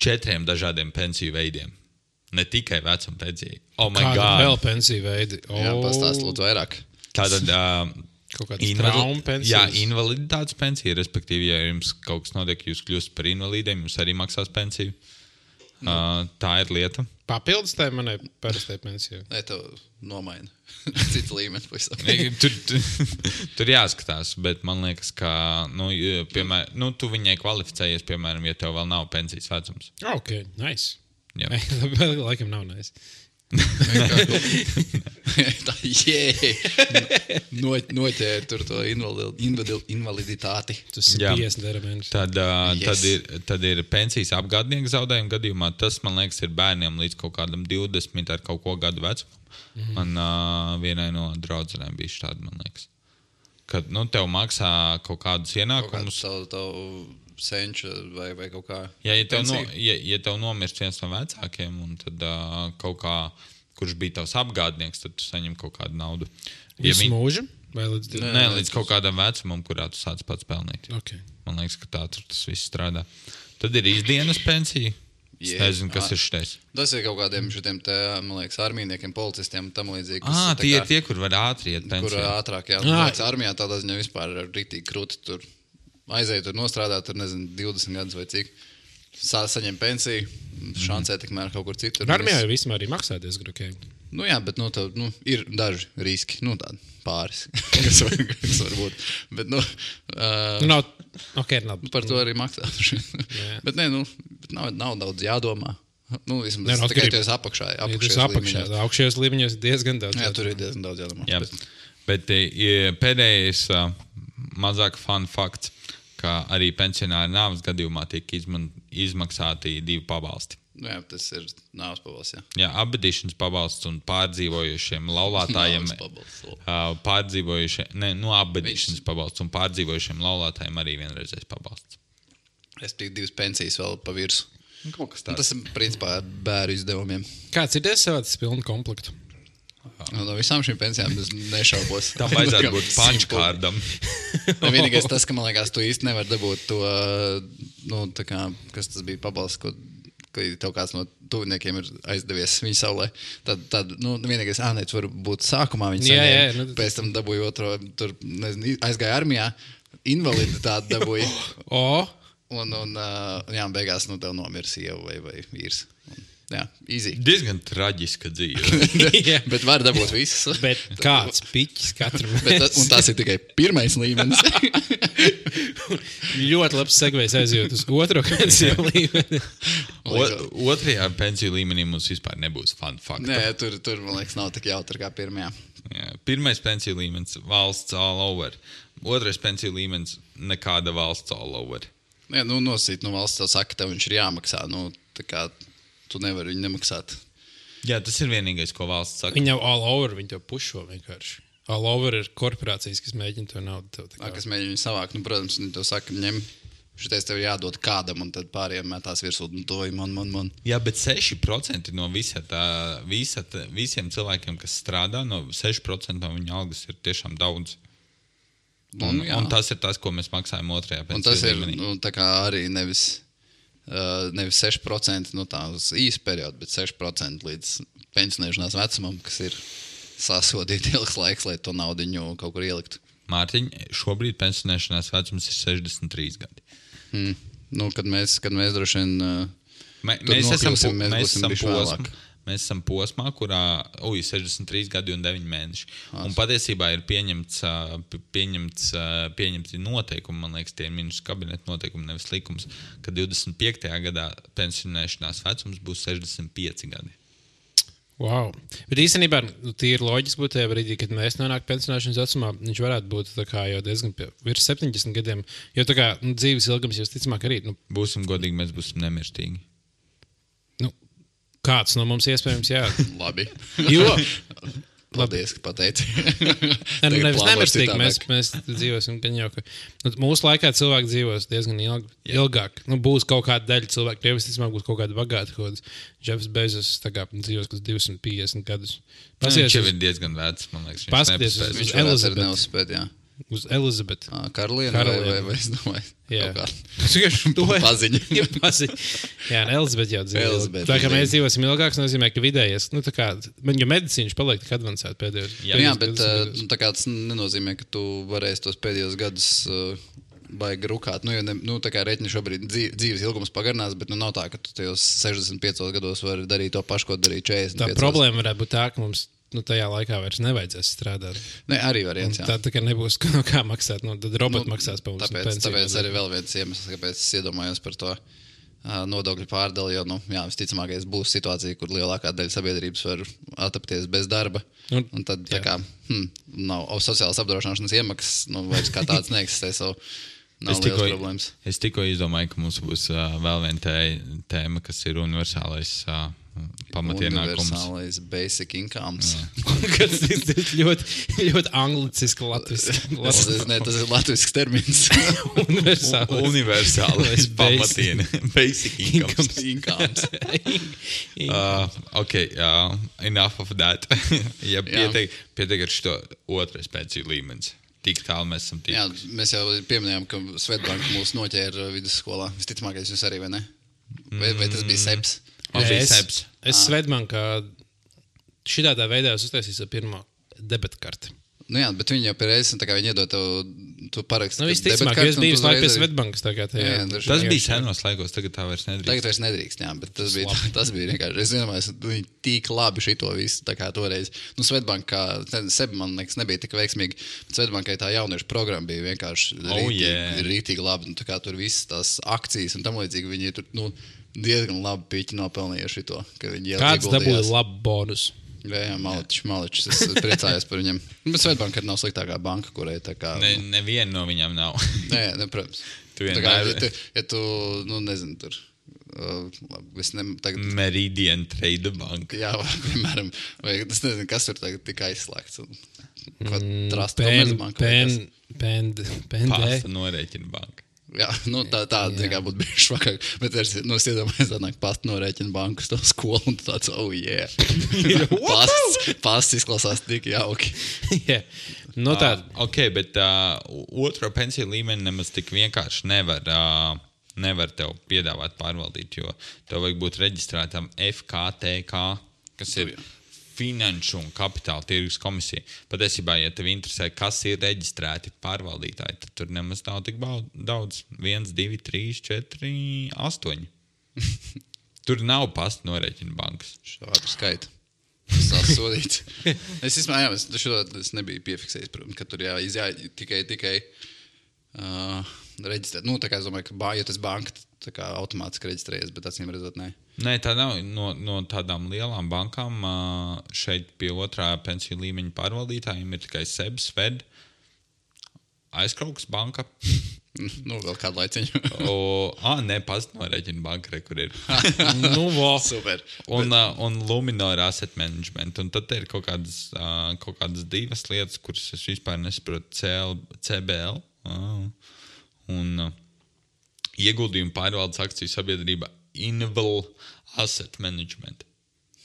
četriem dažādiem pensiju veidiem. Ne tikai vecuma pensijai. Oh my Kāda God. vēl pensiju veidi? Oh. Jā, pastāst lūdzu vairāk. Tātad uh, kaut kādas traumu pensijas? Jā, invaliditātes pensija, respektīvi, ja jums kaut kas notiek, jūs kļūst par invalīdiem, jums arī maksās pensiju. Mm. Uh, tā ir lieta. Papildus tai manai parastai pensijai? Nē, tev nomaina. Cits līmenis pavisam. tur, tur, tur jāskatās, bet man liekas, ka nu, piemēr, nu, tu viņai kvalificējies, piemēram, ja tev vēl nav pensijas vecums. Ok, nice. Jā. Laikam nav nice. Tā, jē, no, noķēri tur to invalid, invaliditāti. Tas ir piecdesmit eiro. Tad, uh, Yes. tad, ir, tad ir pensijas apgādnieku zaudējuma gadījumā. Tas, man liekas, ir bērniem līdz kaut kādam divdesmit ar kaut ko gadu vecumam. Mm-hmm. Man uh, vienai no draudzenēm bija štādi, man liekas. Kad, nu, tev maksā kaut kādus ienākumus. Kaut kādu tavu senču vai, vai kaut kā. Ja, ja, tev no, ja, ja tev nomirst viens no vecākiem, un tad uh, kaut kā, kurš bija tavs apgādnieks, tad tu saņem kaut kādu naudu. Ja Visu viņ... mūžu? Vai līdz Nē, nē, līdz kaut kādam vecumam, kurā tu sāc pats pelnīt. Okay. Man liekas, ka tā tur tas viss strādā. Tad ir izdienas pensija. Es yeah. nezinu, kas ah, ir šitais. Tas ir kaut kādiem šitiem, te, man liekas, armijniekiem, policistiem un tam līdzīgi. Ah, tie ir tie, kur var ātri iet pensijā. Kur ātrāk, jā. Man liekas, armijā tādā ziņā vispār ir rītīgi krūti tur. Aizēja tur nostrādāt, tur nezinu, divdesmit gadus vai cik. Sā, saņem pensiju, šancē tikmēr kaut kur citur. Armijā jau vismaz arī maksā diezgan ok. Nu jā, bet nu, tev, nu, ir daži riski, nu tādi pāris, kas, var, kas var būt. Bet, nu, uh, nu nav, ok, nav. Par to arī maksā. Bet nē, nu, bet nav, nav daudz jādomā. Nu, vismaz ne, no, tikai tu esi apakšā. Apakšējos apakšā, augšējos līmeņos diezgan daudz jā, jādomā. tur ir diezgan daudz jādomā. Jā, bet bet ja pēdējais uh, mazāk fun fakts, ka arī pensionāri nāves gadījumā tiek izman, izmaksāti divi pabalsti. Nu jā, tas ir nāves pabalsts, jā. Jā, apbedīšanas pabalsts un pārdzīvojušiem laulātājiem. uh, pārdzīvojušiem, ne, nu apbedīšanas pabalsts un pārdzīvojušiem laulātājiem arī vienreizais pabalsts. Es tīk divas pensijas vēl pa virsu. Kaut kas tāds. Tas ir, principā, bēru izdevumiem. Kāds ir savāds pilnu komplektu? No visām šīm pensijām es nešaubos. Tam vajadzētu būt punchkārdam. Vienīgais tas, ka man liekas, tu īsti nevar dabūt to, nu, tā kā, kas tas bija pabalsts, ko ka tev kāds no tuviniekiem ir aizdevies viņa saulē, tad, tad nu, vienīgais ānēts var būt sākumā viņa Jā, jā, saņēma, nu, pēc tam dabūja otro, tur, nezinu, aizgāja armijā, invaliditāti dabūja, O, un, un uh, jā, beigās, nu, tev nomira sieva vai, vai vīrs. Un, jā, easy. Diezgan traģiska dzīve. jā. Bet var dabūt visas. Bet kāds piķis katram Bet, ta- un tas ir tikai pirmais līmenis. ļoti labs segvejs aizjūt uz otro pensiju līmeni. O, otrajā pensiju līmenī mums vispār nebūs fun fact. Nē, tur, tur, man liekas, nav tik jautri kā pirmajā. Jā, pirmais pensiju līmenis - valsts all over. Otrais pensiju līmenis - nekāda valsts all over. Nē, nu, nosīt no valsts tev saka, tev viņš ir jāmaksā. Nu, tā kā tu nevari viņu nemaksāt. Jā, tas ir vienīgais, ko valsts saka. Viņi jau all over, viņi to pušo vienkārši. All over ir korporācijas, kas mēģina to naudu tev. tā Kā. kā- Kas mēģina viņu savākt, nu, protams, viņi tev saka, ņem, šitais tev jādod kādam, un tad pāriem metās virsū, un to ir man, man, man. Jā, bet seši procenti no visa tā, visa tā, visiem cilvēkiem, kas strādā, no seši procenti no viņa algas ir tiešām daudz. Un, Nu, jā. un tas ir tas, ko mēs maksājam otrajā Un pensiju tas ir līmenī. nu, tā kā arī nevis, uh, nevis seši procenti no tā uz īsu periodu, bet seši procenti līdz pensionēšanās vecumam, kas ir sasodīti ilgs laiks, lai to naudiņu kaut kur ieliktu. Mārtiņ, šobrīd pensionēšanās vecums ir sešdesmit trīs gadi. Hmm. Nu, kad mēs, kad mēs droši vien uh, Mē, Tur mēs, esam, nokļūsim, po- mēs mēs, būsim esam bišķi posmā, vēlāk. mēs esam posmā, kurā uj, sešdesmit trīs gadi un deviņi mēneši. Un patiesībā ir pieņemts, ā, p- pieņemts, ā, pieņemti noteikumi, man liekas, tie ir ministru kabineta noteikumi, nevis likums, ka divdesmit piektajā gadā pensionēšanās vecums būs sešdesmit pieci gadi. Wow. Bet īstenībā nu, tīri loģiski būtu tajā brīdī, kad mēs nonākam pensionēšanas vecumā, viņš varētu būt tā kā jau diezgan pie, virs septiņdesmit gadiem. Jo tā kā nu, dzīves ilgums jau ticamāk arī. Nu, Būsim godīgi, mēs būsim nemirstīgi. nu, kāds no mums iespējams, jā. labi. Jo, Paldies, ka pateici. ne, nu, Tagad nevis plāno nemirstīgi, citādāk. mēs, mēs dzīvosim gan jau, ka nu, mūsu laikā cilvēki dzīvos diezgan ilg, ilgāk. Nu, būs kaut kāda daļa cilvēku, tie visticamāk būs kaut kāda bagāta, kaut kāds Jeffs Bezos tā kā dzīvos kaut divsimt piecdesmit gadus. Viņš Pasies jau uz, ir diezgan vecs, man liekas. viņš Paskaties uz- nepaspēs. Viņš varētu arī Elizabeti. neuzspēt, jā. uz Elizabeti. Ā, Karaliene vai, Karaliene. vai, vai, es domāju, Jā. kaut kā. To ir- Paziņa. Ir paziņa. Jā, un Elizabete jau dzīvo. Elizabete Tā kā dzīvo. mēs dzīvosim ilgāk, tas nozīmē, ka vidējais, nu tā kā, man jau medicīna paliek tik advancēta pēdējos. Jā, Jā, pēdējos bet divdesmit uh, gados. nu, tā kā tas nenozīmē, ka tu varēsi tos pēdējos gadus uh, baigi rukāt. Nu, jo ne, nu, tā kā reķini šobrīd dzīv, dzīves ilgums pagarinās, bet nu, nav tā, ka tu tajos sešdesmit piecos gados vari darīt to pašu, ko darīja četrdesmit Tā piecos. problēma varētu būt tā, ka mums nu, tajā laikā vairs nevajadzēs strādāt. Ne, arī variants, jā. Tā, tā kā nebūs no kā maksāt, nu, tad roboti Nu, maksās pa mums. un Tāpēc, pensiju tāpēc nodokļu. arī vēl viens iemesls, kāpēc es iedomājos par to uh, nodokļu pārdali, jo, nu, jā, visticamākais būs situācija, kur lielākā daļa sabiedrības var atapties bez darba. Un- Un tad, tā jā. kā, hm, nav o, sociālās apdrošināšanas iemaksas, nu, vairs kā tāds neeksistē, so nav Es liels tikko, problēmas. es tikko izdomāju, ka mums būs uh, vēl viena tē, tēma, kas ir universālais uh, pamatienākums. Universālais basic incomes. Kas ir ļoti, ļoti angliciski latviski. Tas, ir- ne, tas ir latviešu termins. Universālais. Universālais Basic. pamatiena. Basic incomes. incomes. Uh, ok, uh, enough of that. ja pietiek, pietiek ar šo otrais pensiju līmenis. Tik tālu mēs esam Jā, tikuši. mēs jau pieminējām, ka Svetbanka mūs noķēra vidusskolā. Visticamākais jūs arī, vai ne? Vai, vai tas bija seps? Man bija es, seps. es Svetbankā šitā tā veidā es uztaisīju savu pirmo debetkarti. Nu jā, bet viņi jau pie reizes, tā kā viņi iedod tev, tu paraksti. Nu, ka visticamāk, debetkarti, es un biju tu visu laiku pie uzreiz arī- Svetbankas. Tā kā tajā. Jā, jā, droši Tas vien. bija senos laikos, tagad tā vairs nedrīkst. Tagad vairs nedrīkst, jā, bet tas bija, tas bija vienkārši. Es domāju, ka viņi tik labi šito visu, tā kā toreiz. Nu, Svetbanka, sebi, man liekas, nebija tik veiksmīgi. Bet Svetbankai tā jauniešu programma bija vienkārši Oh, rītīgi, yeah. rītīgi labi. Nu, tā kā tur visas tās akcijas un tam līdzīgi, viņi tur, nu, diezgan labi piķi nopelnījuši šito, ka viņi Kāds dabūja ieguldījās. labu bonusu? Jā, jā, maličs, maličs. Es priecājos par viņiem. Bet Svetbanka arī nav sliktākā banka, kurai tā kā... Ne, neviena no viņām nav. Nē, ne, protams. Tu Tā kā, vienmēr- ja tu, ja tu, nu, nezinu, tur... Uh, labi, es ne, tagad... Meridian Trade Bank. Jā, vai, piemēram, vai es nezinu, kas tur tagad tika aizslēgts. Un, ko trust Pen, Komercbanka vai pen, kas. pen, pen, Pasta norēķina banka. Jā, nu, tā, tā zin, kā būtu bijuši švakāk. Bet es, nu, es iedomājos, tā nāk pasta norēķina bankas to skolu un tu tāds, oh, yeah. Pasts, pasts izklausās tik jauki. Jā, no tā. Uh, ok, bet uh, otro pensiju līmeni nemaz tik vienkārši nevar, uh, nevar tev piedāvāt pārvaldīt, jo tev vajag būt reģistrētam F K T K, kas ir Finanšu un Kapitāla tirgus komisija. Patiesībā, ja tev interesē, kas ir reģistrēti pārvaldītāji, tad tur nemaz nav tik daudz. viens, divi, trīs, četri, astoņi. Tur nav pasta norēķina bankas. Šādu skaitu. Tas tās sodīts. Es izmājām, es, šo, es nebiju piefiksējis, protams, ka tur jā, jā tikai, tikai uh, reģistrēt. Nu, tā kā es domāju, ka bā, ja tas banka tā kā automātiski reģistrējies, bet acīm redzot, nē. Nē, tā nav. No, no tādām lielām bankām šeit pie otrā pensiju līmeņa pārvaldītājiem ir tikai S E B, Sved, Aizkraukas banka. Nu, vēl kādu laiciņu. o, ā, ne, pasta norēķina banka, re, kur ir. Nu, vo. Super. Un, bet... un Luminor Asset Management. Un tad ir kaut kādas, kaut kādas divas lietas, kuras es vispār nesaprotu. C B L un ieguldījumu pārvaldes akciju sabiedrība Inval Asset Management.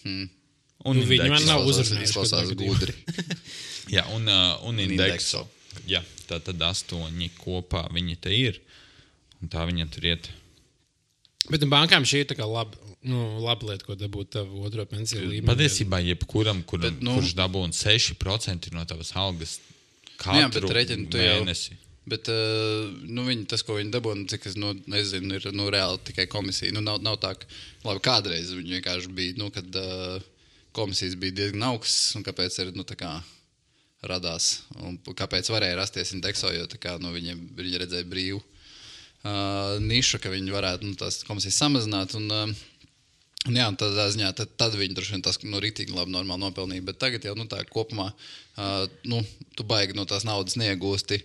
Hmm. Un nu, viņi man nav uzrunājuši. Klausās gudri. Jā, un, uh, un Indexo. Indexo. Jā, tā tad astoņi kopā viņi te ir. Un tā viņa tur iet. Bet bankām šī ir tā kā laba, nu, laba lieta, ko dabūt tavu otro pensiju līmeni. Patiesībā jebkuram, kuram, bet, nu, kurš dabūna seši procenti no tavas algas katru jā, bet, reķin, mēnesi. Jau... Bet uh, nu, viņi, tas, ko viņi dabūna, cik es nu, nezinu, ir nu, reāli tikai komisija. Nu, nav, nav tā, ka labi, kādreiz viņi vienkārši bija, nu, kad uh, komisijas bija diezgan augstas, un kāpēc ir, nu, tā kā radās, un kāpēc varēja rasties Indexo, jo tā kā, nu, viņi, viņi redzēja brīvu uh, nišu, ka viņi varētu, nu, tās komisijas samazināt, un, uh, un jā, un tādā ziņā, tad, tad viņi droši vien tas, nu, ritīgi labi normāli nopelnīja, bet tagad jau, nu, tā kopumā, uh, nu, tu baigi no tās naudas neiegūsti,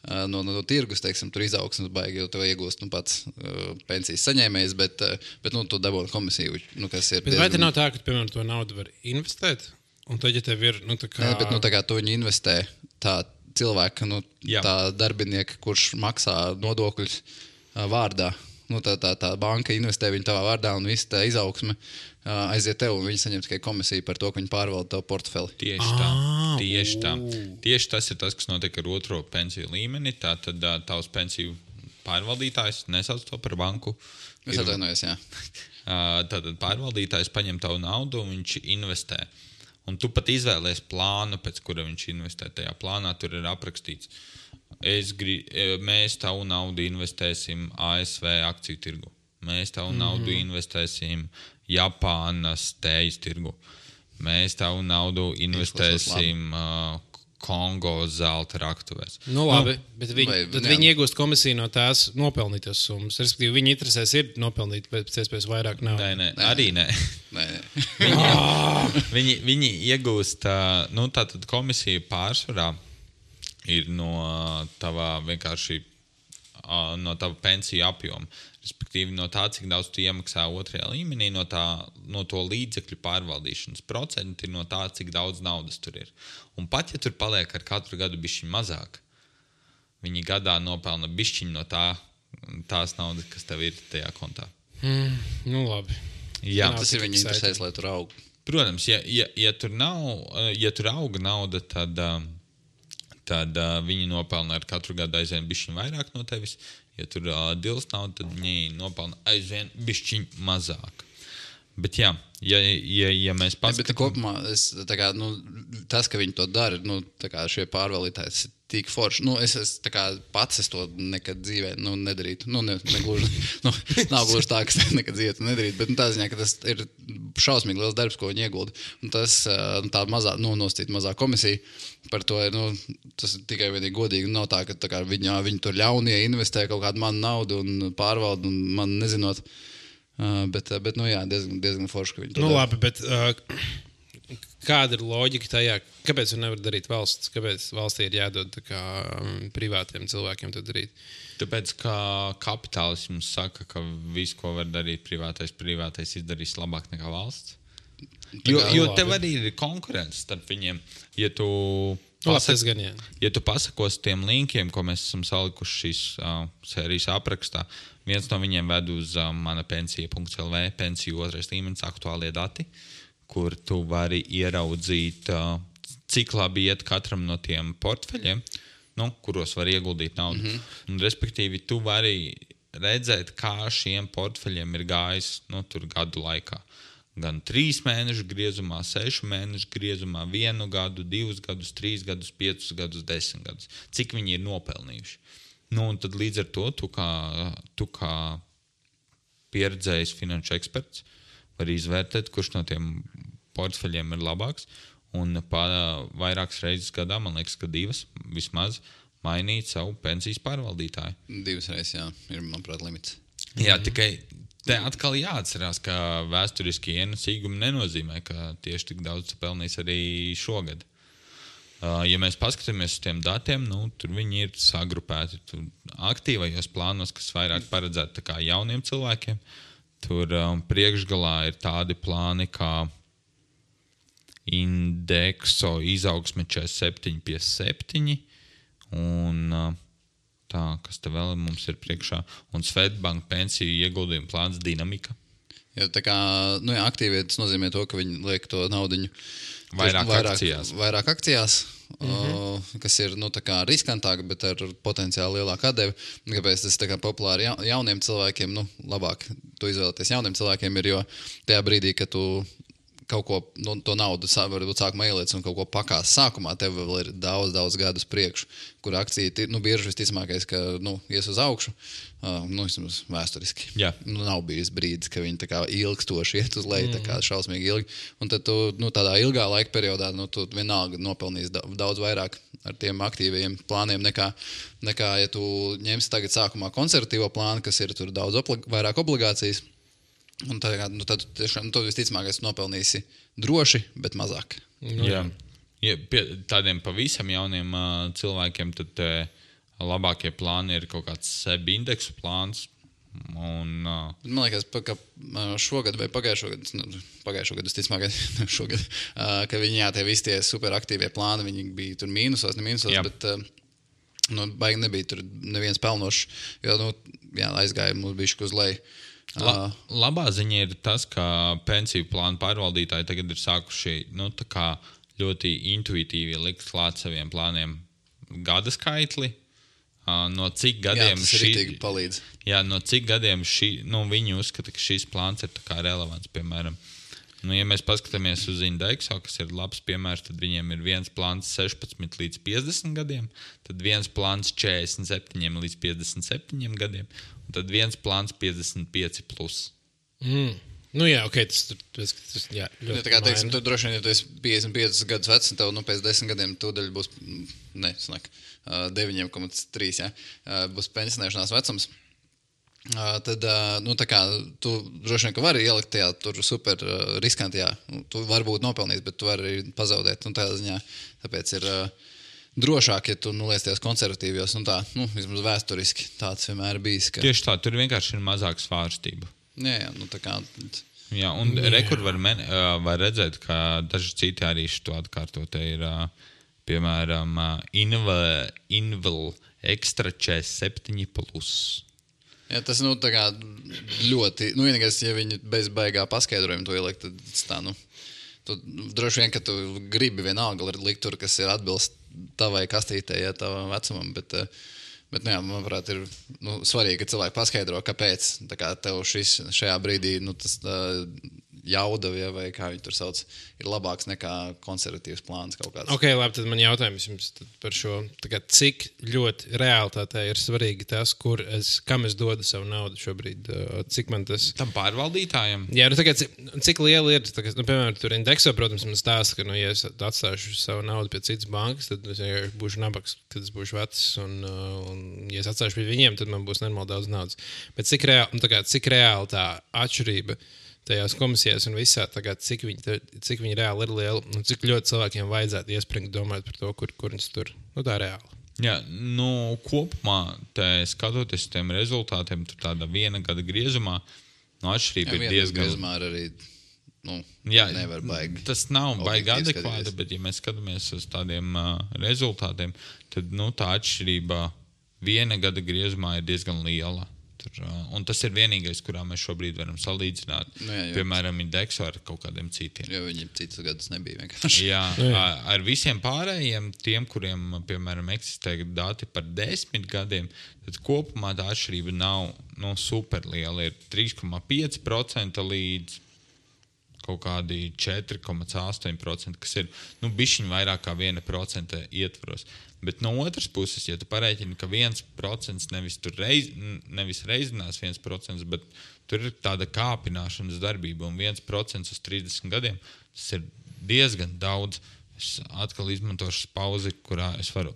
No, no, no tirgus, teiksim, tur izaugsmes baigi, jo tev iegūst nu, pats uh, pensijas saņēmējs, bet, uh, bet nu, tu dabūni komisiju, nu, kas ir... Bet diezgan... vai te nav tā, ka, piemēram, to naudu var investēt? Un tad, ja tev ir, nu, tā kā... Nē, bet, nu, tā kā tu viņu investē tā cilvēka, nu, Jā. tā darbinieka, kurš maksā nodokļus uh, vārdā, nu, tā, tā, tā banka investē viņu tavā vārdā un viss tā izaugsme uh, aiziet tev, un viņi saņem tikai komisiju par to, ka viņi pārvalda tavu portfeli. Tieši tā. Ah, Tieši tā. ū. Tieši tas ir tas, kas notiek ar otro pensiju līmeni. Tā tad uh, tavs pensiju pārvaldītājs, nesauc to par banku. Es atvainojos, jā. Uh, tātad pārvaldītājs paņem tavu naudu un viņš investē. Un tu pat izvēlies plānu, pēc kura viņš investē. Tajā plānā tur ir aprakstīts. Es gri, mēs tavu naudu investēsim A S V akciju tirgu. Mēs tavu mm-hmm. naudu investēsim Japānas tējas tirgu. Mēs tavu naudu investēsim uh, Kongo zelta raktuvēs. Nu, labi, bet viņi, vai, tad jā. viņi iegūst komisiju no tās nopelnītas summas. Respektīvi, viņi interesēs ir nopelnīt pēc iespējas vairāk naudas. Nē, nē, Nē. arī nē. Nē, nē. Viņi, viņi, viņi iegūst, uh, nu tātad komisija pārsvarā ir no tava vienkārši uh, no tava pensiju apjoma. Respektīvi no tā, cik daudz tu iemaksā otrajā līmenī, no, tā, no to līdzekļu pārvaldīšanas procenti, no tā, cik daudz naudas tur ir. Un pat, ja tur paliek ar katru gadu bišķiņ mazāk, viņi gadā nopelna bišķiņ no tā, tās naudas, kas tev ir tajā kontā. Mm, nu, labi. Jā, Tas ir viņa interesēs, lai tur aug. protams, ja, ja, ja, tur nav, ja tur auga nauda, tad, tad viņi nopelna ar katru gadu aizvien bišķiņ vairāk no tevis. Ja tur uh, dils nav, tad viņi nopelna aizvien bišķiņ mazāk. Bet jā, ja, ja, ja mēs paskatām... Bet kopumā es, tā kā, nu, tas, ka viņi to dara, nu, tā kā šie pārvaldītāji ir tik forši. Nu, es, es tā kā pats es to nekad dzīvē nu, nedarītu. Nu, ne, negluži, nu, nav gluži tā, ka es nekad dzīvē to nedarītu, bet nu, tā ziņā, ka tas ir šausmīgi liels darbs, ko viņi iegulda. Un tas tā mazā, nu, nostīt mazā komisija par to ir, nu, tas ir tikai vienīgi godīgi. Nav tā, ka tā kā viņi, viņi tur ļaunie investē kaut kādu manu naudu un pārvalda un man nezinot. Uh, bet, bet, nu jā, diezgan, diezgan forši, ka viņi to Nu, dara. labi, bet uh, kāda ir loģika tajā? Kāpēc to nevar darīt valsts? Kāpēc valstī ir jādod tā kā um, privātiem cilvēkiem to darīt? Tāpēc, ka kapitālisms saka, ka visu, ko var darīt privātais, privātais izdarīs labāk nekā valsts. Jo, kā, jo labi. tev arī ir konkurence starp viņiem. Ja tu, Nu, labi, pasak, tas gan, jā. ja tu pasakos tiem linkiem, ko mēs esam salikuši šīs uh, sērijas aprakstā, viens no viņiem ved uz uh, mana pensija punkts L V, pensiju otrais līmenis, aktuālie dati, kur tu vari ieraudzīt, uh, cik labi iet katram no tiem portfeļiem, nu, kuros var ieguldīt naudu. Mm-hmm. Un, respektīvi, tu vari redzēt, kā šiem portfeļiem ir gājis nu, tur gadu laikā. Gan trīs mēnešu griezumā, sešu mēnešu griezumā, vienu gadu, divus gadus, trīs gadus, piecus gadus, desmit gadus. Cik viņi ir nopelnījuši. Nu, un tad līdz ar to tu kā, tu kā pieredzējis finanšu eksperts var izvērtēt, kurš no tiem portfeļiem ir labāks. Un pār vairākas reizes gadā, man liekas, ka divas vismaz, mainīt savu pensijas pārvaldītāju. Divas reizes, jā, ir, manuprāt, limits. Jā, tikai te atkal jāatcerās, ka vēsturiski ienesīgumi nenozīmē, ka tieši tik daudz pelnīs arī šogad. Ja mēs paskatāmies uz tiem datiem, nu, tur viņi ir sagrupēti tur aktīvajos plānos, kas vairāk paredzēti tā kā jauniem cilvēkiem. Tur um, priekšgalā ir tādi plāni, kā indekso izaugsme četrdesmit septiņi pie septiņi un tā, kas te vēl mums ir priekšā, un Swedbank pensiju ieguldījumu plāns Dinamika. Jo tā kā, nu jā, aktīvi, tas nozīmē to, ka viņi liek to naudiņu vairāk, vairāk akcijās. Vairāk akcijās, Mm-hmm. o, kas ir, nu, tā kā riskantāk, bet ar potenciāli lielāku atdevi. Kāpēc tas tā kā populāri ja, jauniem cilvēkiem, nu, labāk to izvēlēties jauniem cilvēkiem ir, jo tajā brīdī, kad tu kaut ko, nu, to naudu varbūt sākumā ieliec un kaut ko pakās sākumā, tev vēl ir daudz, daudz gadus priekšu, kur akcija, nu, bieži visticamākais, ka, nu, ies uz augšu, uh, nu, vismaz vēsturiski. Jā. Nu, nav bijis brīdis, ka viņi tā kā ilgstoši iet uz leju, Mm. tā kā šausmīgi ilgi. Un tad tu, nu, tādā ilgā laika periodā, nu, tu vienalga nopelnīs daudz vairāk ar tiem aktīvajiem plāniem nekā, nekā ja tu ņemsi tagad sākumā konservatīvo plānu, kas ir tur daudz oblig, vairāk obligācijas. Un tad, nu, tad tiešām, nu, tu visticamākais nopelnīsi droši, bet mazāk. Nu, Jā. Ja, pie tādiem pavisam jauniem uh, cilvēkiem tad uh, labākie plāni ir kaut kāds seb indeksu plāns. Un, uh, Man liekas, pa, ka šogad vai pagājušo gadu, nu, pagājušo gadu, visticamākais, šogad, uh, ka viņi, jā, tie visi tie superaktīvie plāni, viņi bija tur mīnusos, ne mīnusos, Jā. bet uh, nu, baigi nebija tur neviens pelnošs, jo, nu, jā, aizgāja mums bišķi uz leju. La, labā ziņa ir tas, ka pensiju plānu pārvaldītāji tagad ir sākuši nu, tā kā ļoti intuitīvi likt klāt saviem plāniem gada skaitli. No cik gadiem, jā, tas šī, ritīgi palīdz. Jā, no cik gadiem šī, nu, viņi uzskata, ka šis plāns ir tā kā relevants. Piemēram, nu, ja mēs paskatāmies uz indeksu, kas ir labs piemērs, tad viņiem ir viens plāns sešpadsmit līdz piecdesmit gadiem, tad viens plāns četrdesmit septiņi līdz piecdesmit septiņi gadiem, un tad viens plāns piecdesmit pieci plus. Mm. Nu jā, ok, tas, tas, tas jā, ļoti Ja, tā kā, teiksim, maina. tu droši vien, ja tu esi piecdesmit piecus gadus vecs, un tev, nu, pēc desmit gadiem tūdaļ būs, ne, snak, deviņi komats trīs, ja, būs pensionēšanās vecums. Uh, tad, uh, nu, tā kā tu droši vien, ka vari ielikt tajā tur super uh, riskantajā, tu vari būt nopelnījis, bet tu vari arī pazaudēt, un tādā ziņā, tāpēc ir uh, drošāk, ja tu, nu, liesties konservatīvos, un tā, nu, vismaz vēsturiski tāds vienmēr bijis, ka... Tieši tā, tur vienkārši ir mazāk svārstība. Jā, jā, nu, tā kā... Jā, un Jā. rekur var, men, uh, var redzēt, ka daži citi arī šo atkārto. Te ir, uh, piemēram, uh, Invel, Invel Extra četrdesmit septiņi plus. Jā, tas, nu, tā kā ļoti, nu, vienīgais, ja viņi bez baigā paskaidrojumu to ielikt, tad tas tā, nu, tu droši vien, ka tu gribi vienalga likt tur, kas ir atbilst tavai kastītei, ja tavam vecumam, bet, bet, nu, jā, manuprāt, ir, nu, svarīgi, ka cilvēki paskaidro, kāpēc, tā kā tev šis šajā brīdī, nu, tas uh, jauda, ja, vai kā viņi tur sauc, ir labāks nekā konservatīvs plāns kaut kāds. Ok, labi, tad man jautājums jums par šo. Tā kā, cik ļoti realitātē ir svarīgi tas, kur es, kam es dodu savu naudu šobrīd? uh, Cik man tas... Tam pārvaldītājiem. Jā, nu, tā kā, cik, cik liela ir, tā kā, nu, piemēram, tur indekso, protams, man stāsta, ka, nu, ja es atstāšu savu naudu pie citas bankas, tad es vienkārši būšu nabaks, kad es būšu vecs, un, uh, un ja es atstāšu pie viņiem, tad man būs nenormāli daudz naudas. Bet cik reāli, nu, tā kā, cik reāli tā atšķirība tajās komisijās un visā, tagad, cik, viņi, cik viņi reāli ir liela un cik ļoti cilvēkiem vajadzētu iespringt domāt par to, kur, kur viņas tur, nu tā reāli. Jā, nu, kopumā, te, skatoties tiem rezultātiem, tur tāda viena gada griezumā, nu, atšķirība ir diezgan... Griezumā ar arī, nu, Jā, nevar baigi. Tas nav baigi objektīvi adekvāti, skatīties. bet, ja mēs skatāmies uz tādiem uh, rezultātiem, tad nu, tā atšķirība viena gada griezumā ir diezgan liela. Tur, un tas ir vienīgais, kurā mēs šobrīd varam salīdzināt. Nu, jā, jo. Piemēram, indeksu ar kaut kādiem citiem. Jo viņiem citus gadus nebija vienkārši. Jā, ar visiem pārējiem, tiem, kuriem, piemēram, eksistē dati par desmit gadiem, tad kopumā tā atšķirība nav nu, superliela. Ir trīs komats pieci procenti līdz kaut kādi četri komats astoņi procenti, kas ir nu, bišķiņ vairāk kā viena procenta ietvaros. Bet no otras puses, ja tu pareiķini, ka viens procents nevis, reiz, nevis reizinās viens procents, bet tur ir tāda kāpināšanas darbība un viens procents uz trīsdesmit gadiem, tas ir diezgan daudz. Es atkal izmantošu pauzi, kurā es varu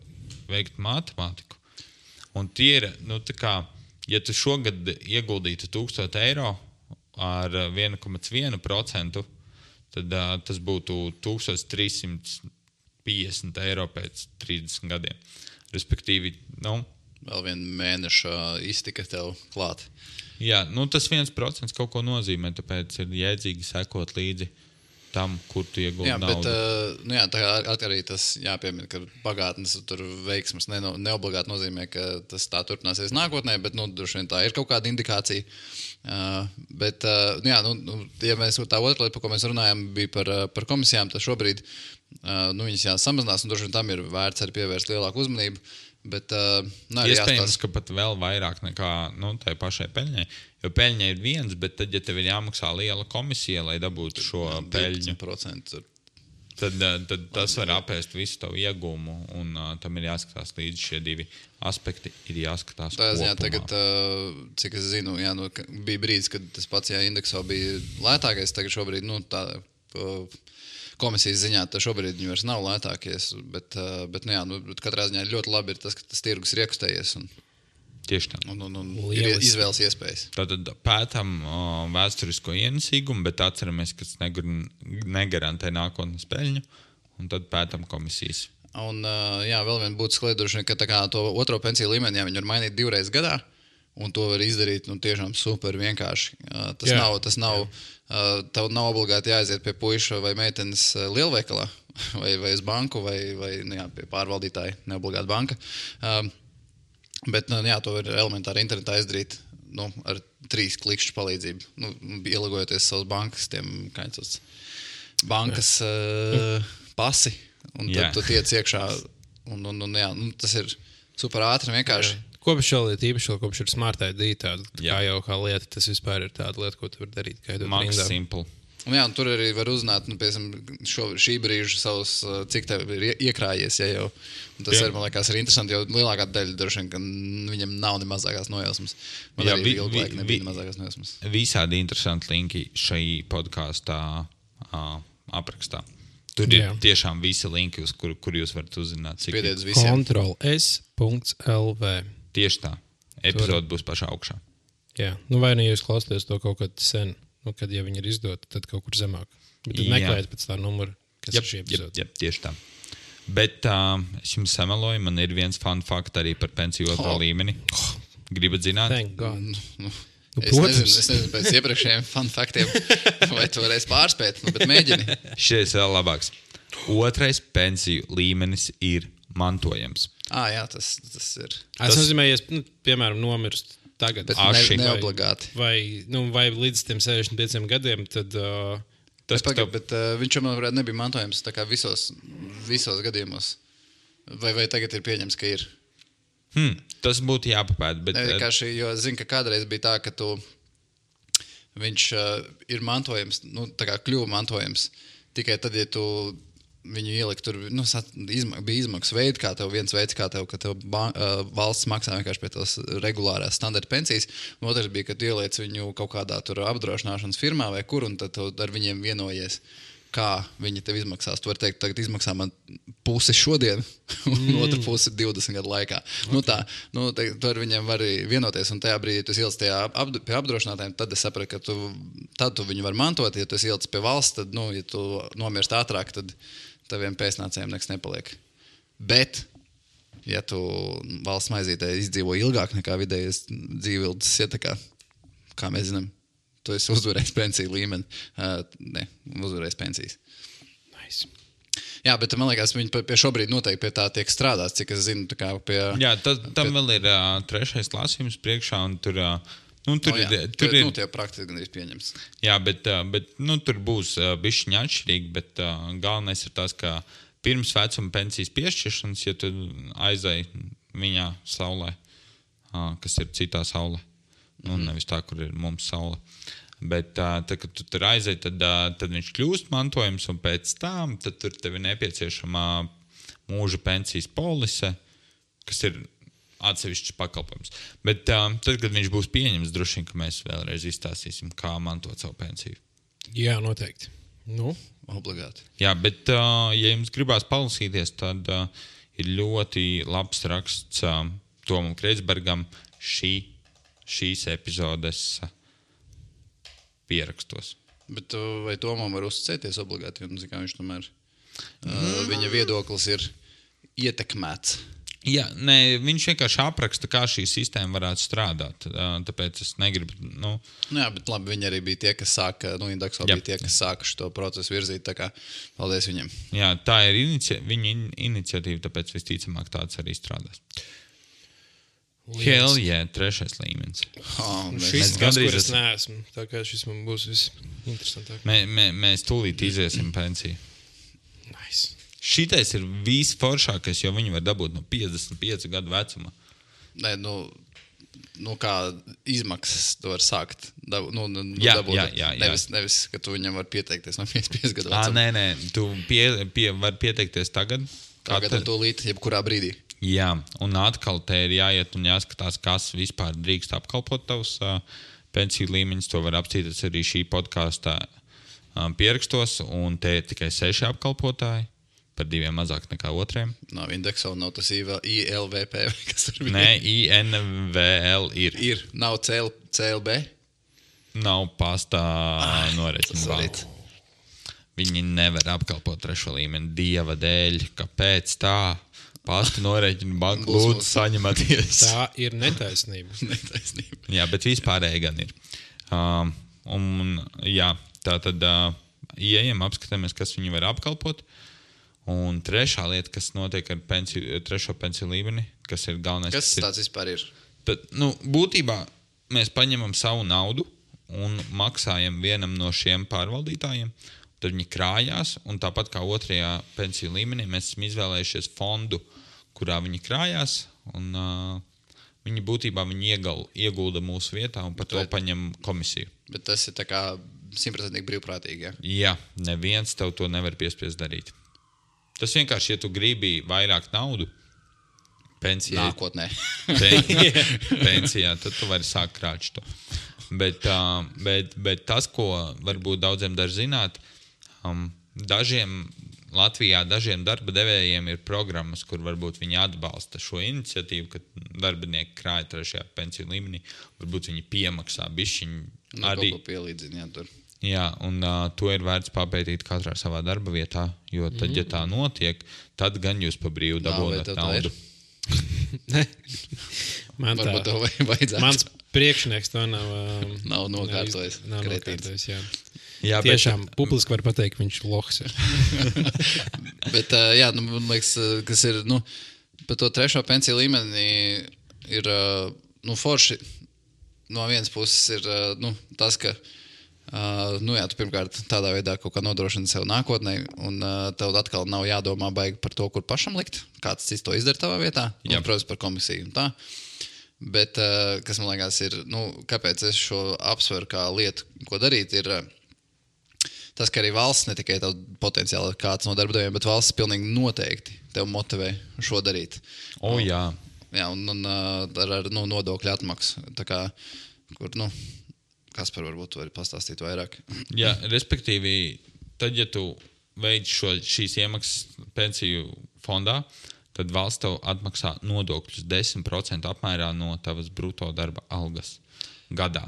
veikt matemātiku. Un tie ir, nu tā kā, ja tu šogad ieguldītu tūkstoš eiro, ar viens komats viens procents, tad uh, tas būtu tūkstoš trīs simti piecdesmit eiro pēc trīsdesmit gadiem. Respektīvi, nu... Vēl vienu mēnešu iztika tev klāt. Jā, nu tas viens procents kaut ko nozīmē, tāpēc ir jēdzīgi sekot līdzi tam, kur tu ieguldi jā, naudu. Bet, uh, nu jā, tā arī tas jāpiemina, ka pagātnes tur veiksmas ne, neobligāti nozīmē, ka tas tā turpināsies nākotnē, bet nu, droši vien tā ir kaut kāda indikācija. Uh, bet, uh, jā, nu, ja mēs tā otra lieta, par ko mēs runājam, bija par, par komisijām, tad šobrīd uh, nu, viņas jāsamazinās, un droši vien tam ir vērts arī pievērst lielāku uzmanību. Bet, uh, nu, iespējams, jāstās... ka pat vēl vairāk nekā nu, tai pašai peļņai. Jo peļņa ir viens, bet tad, ja tev ir jāmaksā liela komisija, lai dabūtu šo peļņu, tad, tad tas var apēst visu tavu iegūmu, un uh, tam ir jāskatās līdzi šie divi aspekti, ir jāskatās tā, kopumā. Jā, tagad, uh, cik es zinu, jā, nu, bija brīdis, kad tas pats jā, indeksā bija lētākais, tagad šobrīd, nu, tā... Uh, komisijas ziņā, tad šobrīd viņi vairs nav lētākies, bet, bet nu jā, nu, katrā ziņā ļoti labi ir tas, ka tas tirgus ir iekustējies un, tieši tā. un, un, un ir izvēles iespējas. Tātad pētam o, vēsturisko ienesīgumu, bet atceramies, ka tas negar, negarantē nākotnes peļņu, un tad pētam komisijas. Un jā, vēl vien būtu skliedruši, ka tā kā to otro pensiju līmeni, jā, viņi var mainīt divreiz gadā, un to var izdarīt nu, tiešām super vienkārši. Tas jā, nav, tas nav, tev nav obligāti jāaiziet pie puiša vai meitenes lielveikalā vai, vai uz banku vai, vai nu, jā, pie pārvaldītāja, neobligāti banka. Bet nu, jā, to var elementāri internetā izdarīt nu, ar trīs klikšķu palīdzību. Nu, ielagojoties savas bankas, tiem kāds bankas uh, pasi, un tad jā. Tu tiec iekšā. Un, un, un, jā, nu, tas ir super ātri vienkārši. Jā. Kopš šā lieta īpaši, kopš ir smart I D tāda, kā jau kā lieta, tas vispār ir tāda lieta, ko tu vari darīt. Max simple. Un jā, un tur arī var uzzināt, nu, piemēram, šo, šī brīža savus, cik tev ir iekrājies, ja jau. Un tas, ir, man liekas, ir interesanti, jo lielākā daļa droši vien, ka viņam nav ne mazākās nojausmas. Man jā, arī vi, ilgu laiku nebija ne mazākās nojausmas. Visādi interesanti linki šai podkāstā uh, aprakstā. Tur ir jā. Tiešām visi linki, uz kur, kur jūs varat uzzināt. Piediet uz visiem. Control S punkt L V. Tieši tā. Epizode būs pašā augšā. Jā. Nu, vai ne jūs klausāties to kaut kad sen, nu, kad ja viņi ir izdoti, tad kaut kur zemāk. Bet tad meklējiet pēc tā numura, kas jep, ir šī epizode. Jep, jep, tieši tā. Bet uh, es jums sameloju, man ir viens fun fact arī par pensiju otro oh. līmeni. Gribat zināt? Thank God. Nu, nu, es, nezinu, es nezinu pēc iepriekšējiem fun factiem, vai tu varēsi pārspēt, nu, bet mēģini. Šis vēl labāks. Otrais pensiju līmenis ir mantojams. Ah, jā, tas, tas ir. Tas nozīmē, ja es, nu, piemēram, nomirst tagad. Bet ne, neobligāti. Vai, nu, vai līdz tiem sešdesmit pieciem gadiem, tad... Uh, tas pagad, tev... bet uh, viņš man varētu nebija mantojams tā kā visos, visos gadījumos. Vai, vai tagad ir pieņems, ka ir? Hmm, tas būtu jāpapēt, bet... Ne, vienkārši, jo es zinu, ka kādreiz bija tā, ka tu, viņš uh, ir mantojams, nu, tā kā kļuva mantojams, tikai tad, ja tu... Viņu ielikt tur, nu, izma, bija izmaksas veidi, kā tev viens veids, kā tev, ka tev ba, uh, valsts maksā vienkārši pie tās regulārās standarta pensijas. Un otrs bija, ka tu ieliec viņu kaut kādā tur apdrošināšanas firmā vai kur, un tad tu ar viņiem vienojies, kā viņi tev izmaksās. Tu vari teikt, tagad izmaksā man pusi šodien, un mm. otru pusi divdesmit gadu laikā. Okay. Nu tā, nu, te, tu ar viņiem vari vienoties, un tajā brīdī, ja tu ieliec tajā ap, pie apdrošinātājiem, tad es sapratu, ka tu, tad tu viņu var mantot. Ja tu ieliec pie valsts, tad, nu, ja tu nomirst ātrāk, tad taviem pēcnācējiem nekas nepaliek. Bet, ja tu valsts maizītē izdzīvo ilgāk nekā vidējas dzīvildes, ja tā kā, kā mēs zinām, tu esi uzvarējis pensiju līmeni. Uh, ne, uzvarējis pensijas. Nice. Jā, bet man liekas, viņi pie šobrīd noteikti pie tā tiek strādāts, cik es zinu, tā kā pie... Jā, tas, tam pie... vēl ir uh, trešais lasījums priekšā, un tur, uh, nu, tur, oh, ir, tur ir... ir... Nu, tie praktiski gandrīz pieņems. Jā, bet, uh, bet nu, tur būs uh, bišķiņa atšķirīgi, bet uh, galvenais ir tas, ka pirms vecuma pensijas piešķiršanas, ja tu aizai viņā saulē, uh, kas ir citā saulē, nu, mm-hmm. nevis tā, kur ir mums saule. Bet, uh, tad, kad tu tur aizej, tad, uh, tad viņš kļūst mantojums, un pēc tam tad tur tev ir nepieciešama mūža pensijas polise, kas ir atsevišķs pakalpojums. Bet uh, tad, kad viņš būs pieņems, droši vien, ka mēs vēlreiz izstāstīsim, kā mantot savu pensiju. Jā, noteikti. Nu, obligāti. Jā, bet, uh, ja jums gribās palasīties, tad uh, ir ļoti labs raksts uh, Tomam Kreitsbergam šī, šīs epizodes uh, pierakstos. Bet vai Tomam var uzticēties obligāti? Un, zin, kā viņš tomēr, uh, viņa viedoklis ir ietekmēts. Jā, nē, viņš vienkārši apraksta, kā šī sistēma varētu strādāt. Uh, tāpēc es negribu... Nu... Nu jā, bet labi, viņi arī bija tie, kas sāka, nu, Indexo bija tie, kas sāka šo procesu virzīt, tā kā paldies viņiem. Jā, tā ir inici... viņa in iniciatīva, tāpēc visticamāk tāds arī strādās. Hell, jā, yeah, trešais līmenis. Oh, šis tas, kur es neesmu. Tā kā šis man būs visinteresantāk. Mē, mē, mēs tūlīt iziesim pensiju. Nice. Šitais ir visforšākais, jo viņi var dabūt no piecdesmit pieci gadu vecuma. Nē, nu, nu kā izmaksas to var sākt. Dabu, nu, nu, jā, dabūt, jā, jā, jā. Nevis, nevis, ka tu viņam var pieteikties no piecdesmit pieci gadu vecuma. Ā, nē, nē, tu pie, pie, var pieteikties tagad. Tagad un tūlīt, jebkurā brīdī. Jā, un atkal te ir jāiet un jāskatās, kas vispār drīkst apkalpot tavus uh, pensiju līmeņus. To var apstīties arī šī podkāstā um, pierakstos, un te ir tikai seši apkalpotāji, par diviem mazāk nekā otriem. Nav indeksa un nav tas I L V P, kas tur bija. Nē, I N V L ir. Ir, nav C L B? Nav pastā noreķinu tas balvu. Viņi nevar apkalpot trešo līmeni dieva dēļ. Kāpēc tā? Pasta norēķina banku, lūdzu, saņematies. Tā ir netaisnība. netaisnība. Jā, bet vispārēji gan ir. Um, un, jā, tā tad uh, ieejam, apskatāmies, kas viņi var apkalpot. Un trešā lieta, kas notiek ar pensiju, trešo pensiju līmeni, kas ir galvenais. Kas tas tāds vispār ir? Tad, nu, būtībā mēs paņemam savu naudu un maksājam vienam no šiem pārvaldītājiem. Tad viņi krājās, un tāpat kā otrajā pensiju līmenī, mēs esam izvēlējušies fondu, kurā viņi krājās, un uh, viņi būtībā viņi iegal, iegulda mūsu vietā un par to paņem komisiju. Bet tas ir tā kā simtprocentīgi brīvprātīgi, ja? Jā, neviens tev to nevar piespiest darīt. Tas vienkārši, ja tu gribi vairāk naudu pensijā, nākotnē. pensijā, tad tu vari sākt krāt to. Bet, uh, bet, bet tas, ko varbūt daudziem dar zināt, Um, dažiem Latvijā, dažiem darba devējiem ir programmas, kur varbūt viņi atbalsta šo iniciatīvu, ka darbinieki krāja trešajā pensiju līmenī, varbūt viņi piemaksā bišķiņu nu, arī. Kaut ko pielīdzina, jā, tur. Jā, un uh, to ir vērts papētīt katrā savā darba vietā, jo tad, mm. ja tā notiek, tad gan jūs pa brīvu dabūnat naudu. Man tā, varbūt to vajadzētu. Mans priekšnieks to nav, um, nav nokārtojis. Nav nokārtojis, jā. Jā, tiešām bet, publiski var pateikt, ka viņš lohs ir. Bet, uh, jā, nu, man liekas, kas ir, nu, par to trešo pensiju līmeni ir, uh, nu, forši no vienas puses ir, uh, nu, tas, ka, uh, nu, jā, tu pirmkārt tādā veidā kaut kā nodrošini sev nākotnē, un uh, tev atkal nav jādomā baigi par to, kur pašam likt, kāds cits to izdara tavā vietā, un, protams, par komisiju un tā. Bet, uh, kas man liekas ir, nu, kāpēc es šo apsveru kā lietu, ko darīt, ir uh, tas, ka arī valsts ne tikai tev potenciāli kāds no darba devējiem, bet valsts pilnīgi noteikti tev motivē šo darīt. O, jā. Jā, un, un ar, ar nu, nodokļu atmaksu. Tā kā, kur, nu, Kaspar varbūt tu vari pastāstīt vairāk. Jā, respektīvi, tad, ja tu veic šo, šīs iemaksas pensiju fondā, tad valsts tev atmaksā nodokļus desmit procenti apmērā no tavas bruto darba algas gadā.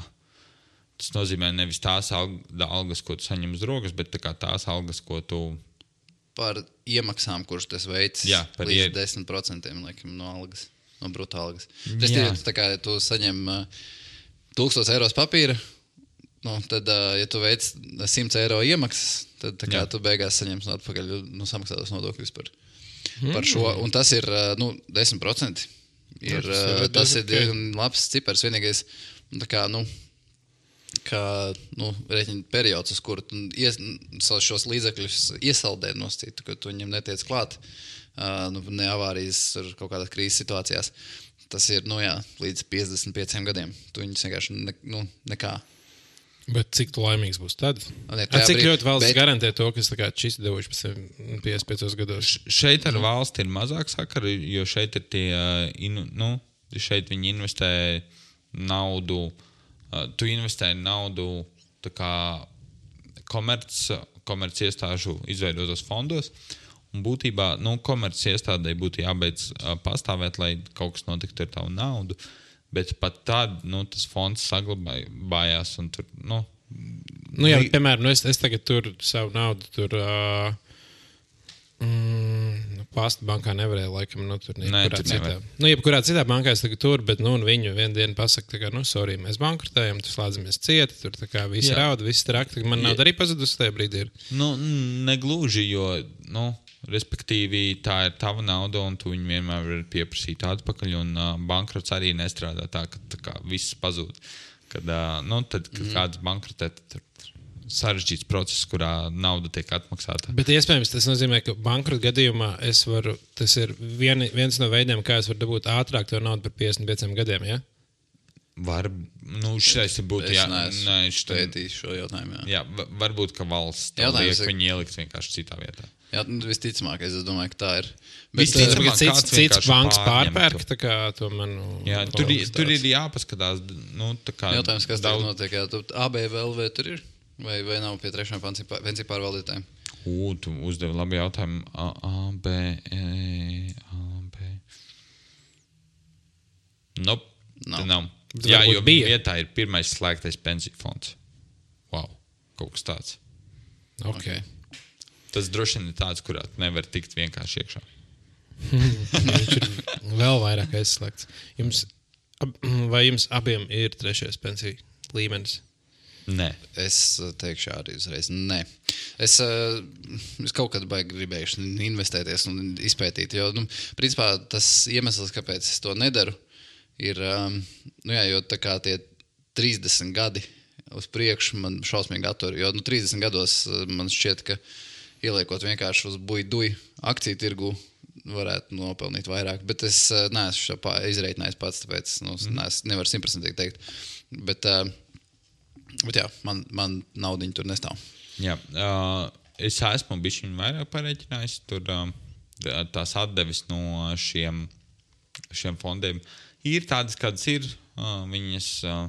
Tas nozīmē nevis tās algas, ko tu saņem uz rokas, bet tā kā tās algas, ko tu... Par iemaksām, kurš tas veids, jā, par līdz ie... desmit procenti laikam, no algas, no bruto algas. Tas ir tā kā tu saņem uh, tūkstoš eiros papīra, nu, tad, uh, ja tu veic simts eiro iemaksas, tad tā kā Jā. tu beigās saņemsi atpakaļ nu, samaksātos nodokļus par, mm. par šo. Un tas ir uh, nu, desmit procenti. Ir, Tas uh, ir tas ir diezgan diezgan labs cipars. Vienīgais, tā kā, nu, kā nu, rēķina periods, uz kuru tu ies, šos līdzekļus iesaldē nosacītu, ka tu viņam netiec klāt, uh, nu, ne avārijas ar kaut kādās krīzes situācijās. Tas ir, nu jā, līdz piecdesmit pieciem gadiem. Tu viņus vienkārši ne, nu, nekā. Bet cik tu laimīgs būs tad? Ne, A, cik brīd, ļoti valsts bet... garantē to, kas šis devuši pēc piecdesmit piecos gados? Šeit ar valsti ir mazāk sakari, jo šeit ir tie, inu, nu, šeit viņi investē naudu, tu investē naudu tā kā komerc, komerc iestāžu izveidotos fondos. Un būtībā, nu, komerces iestādē būtu jābeidz uh, pastāvēt, lai kaut kas notiktu ar tavu naudu, bet pat tad, nu, tas fonds saglabājās un tur, nu... Nu jā, bet, piemēram, nu es, es tagad tur savu naudu tur... Uh, mm, Pasta bankā nevarēja, laikam, nu, tur Nē, jebkurā tur citā. nevar. Nu, jebkurā citā bankā es tagad tur, bet, nu, viņu vienu dienu pasaka, tā kā, nu, sorry, mēs bankrotējam, tur slēdzamies cieti, tur tā kā visi Jā. rauda, visi trakti, man nauda arī pazudusi tajā brīdī ir. Nu, negluži, jo, nu, respektīvi, tā ir tava nauda, un tu viņu vienmēr vari pieprasīt atpakaļ, un uh, bankrots arī nestrādā tā, ka tā kā viss pazūd. Kad, uh, nu, tad, kad mm. kāds bankrotē, tad sarežģīts process, kurā nauda tiek atmaksāta. Bet iespējams tas nozīmē, ka bankrota gadījumā es varu, tas ir vien, viens no veidiem, kā es varu dabūt ātrāk to naudu par piecdesmit pieciem gadiem, ja? Var, nu, šitais būtu, jā, nē, šitā, pētīšu šo jautājumu, jā. jā, va- varbūt, ka valsts to Jautājums liek ir- viņu ielikt vienkārši citā vietā. Jā, nu, visticamākais, es domāju, ka tā ir. Visticamāk, Tagad cits, kāds cits vienkārši banks pārņem pārpērk, to. tā kā to manu... Jā, tur, i- tāds. tur ir jāpaskatās, nu, tā kā Jautājums, kas daudz- daudz... notiek, jā, tu A B V L V tur ir? Vai, vai nav pie trešām pensiju pārvaldītājiem? Ū, tu uzdevi labi jautājumu. A, A, B, E, A, B. Nope, Nav. nav. nav. Bet Jā, varbūt jo bija. vietā ir pirmais slēgtais pensiju fonds. Wow, kaut kas tāds. Ok. Tas droši vien ir tāds, kurā tu nevar tikt vienkārši iekšā. Viņš ir vēl vairāk aizslēgts. Jums, ab, vai jums abiem ir trešais pensiju līmenis? Nē. Es uh, teikšu arī uzreiz, nē. Es, uh, es kaut kad baigi gribējuši investēties un izpētīt, jo, nu, principā tas iemesls, kāpēc es to nedaru, ir, um, nu jā, jo tā kā tie trīsdesmit gadi uz priekšu man šausmīgi attur, jo, nu, trīsdesmit gados uh, man šķiet, ka ieliekot vienkārši uz buj-duj akciju tirgu varētu nopelnīt vairāk, bet es uh, neesmu šo pā- izreikinājis pats, tāpēc, nu, mm. nees, nevaru simtprocentīgi teikt, bet... Uh, Bet jā, man, man naudiņa tur nestāv. Jā, uh, es esmu bišķiņ vairāk pareiķinājis. Tur uh, tās atdevis no šiem, šiem fondiem ir tādas, kādas ir. Uh, viņas uh,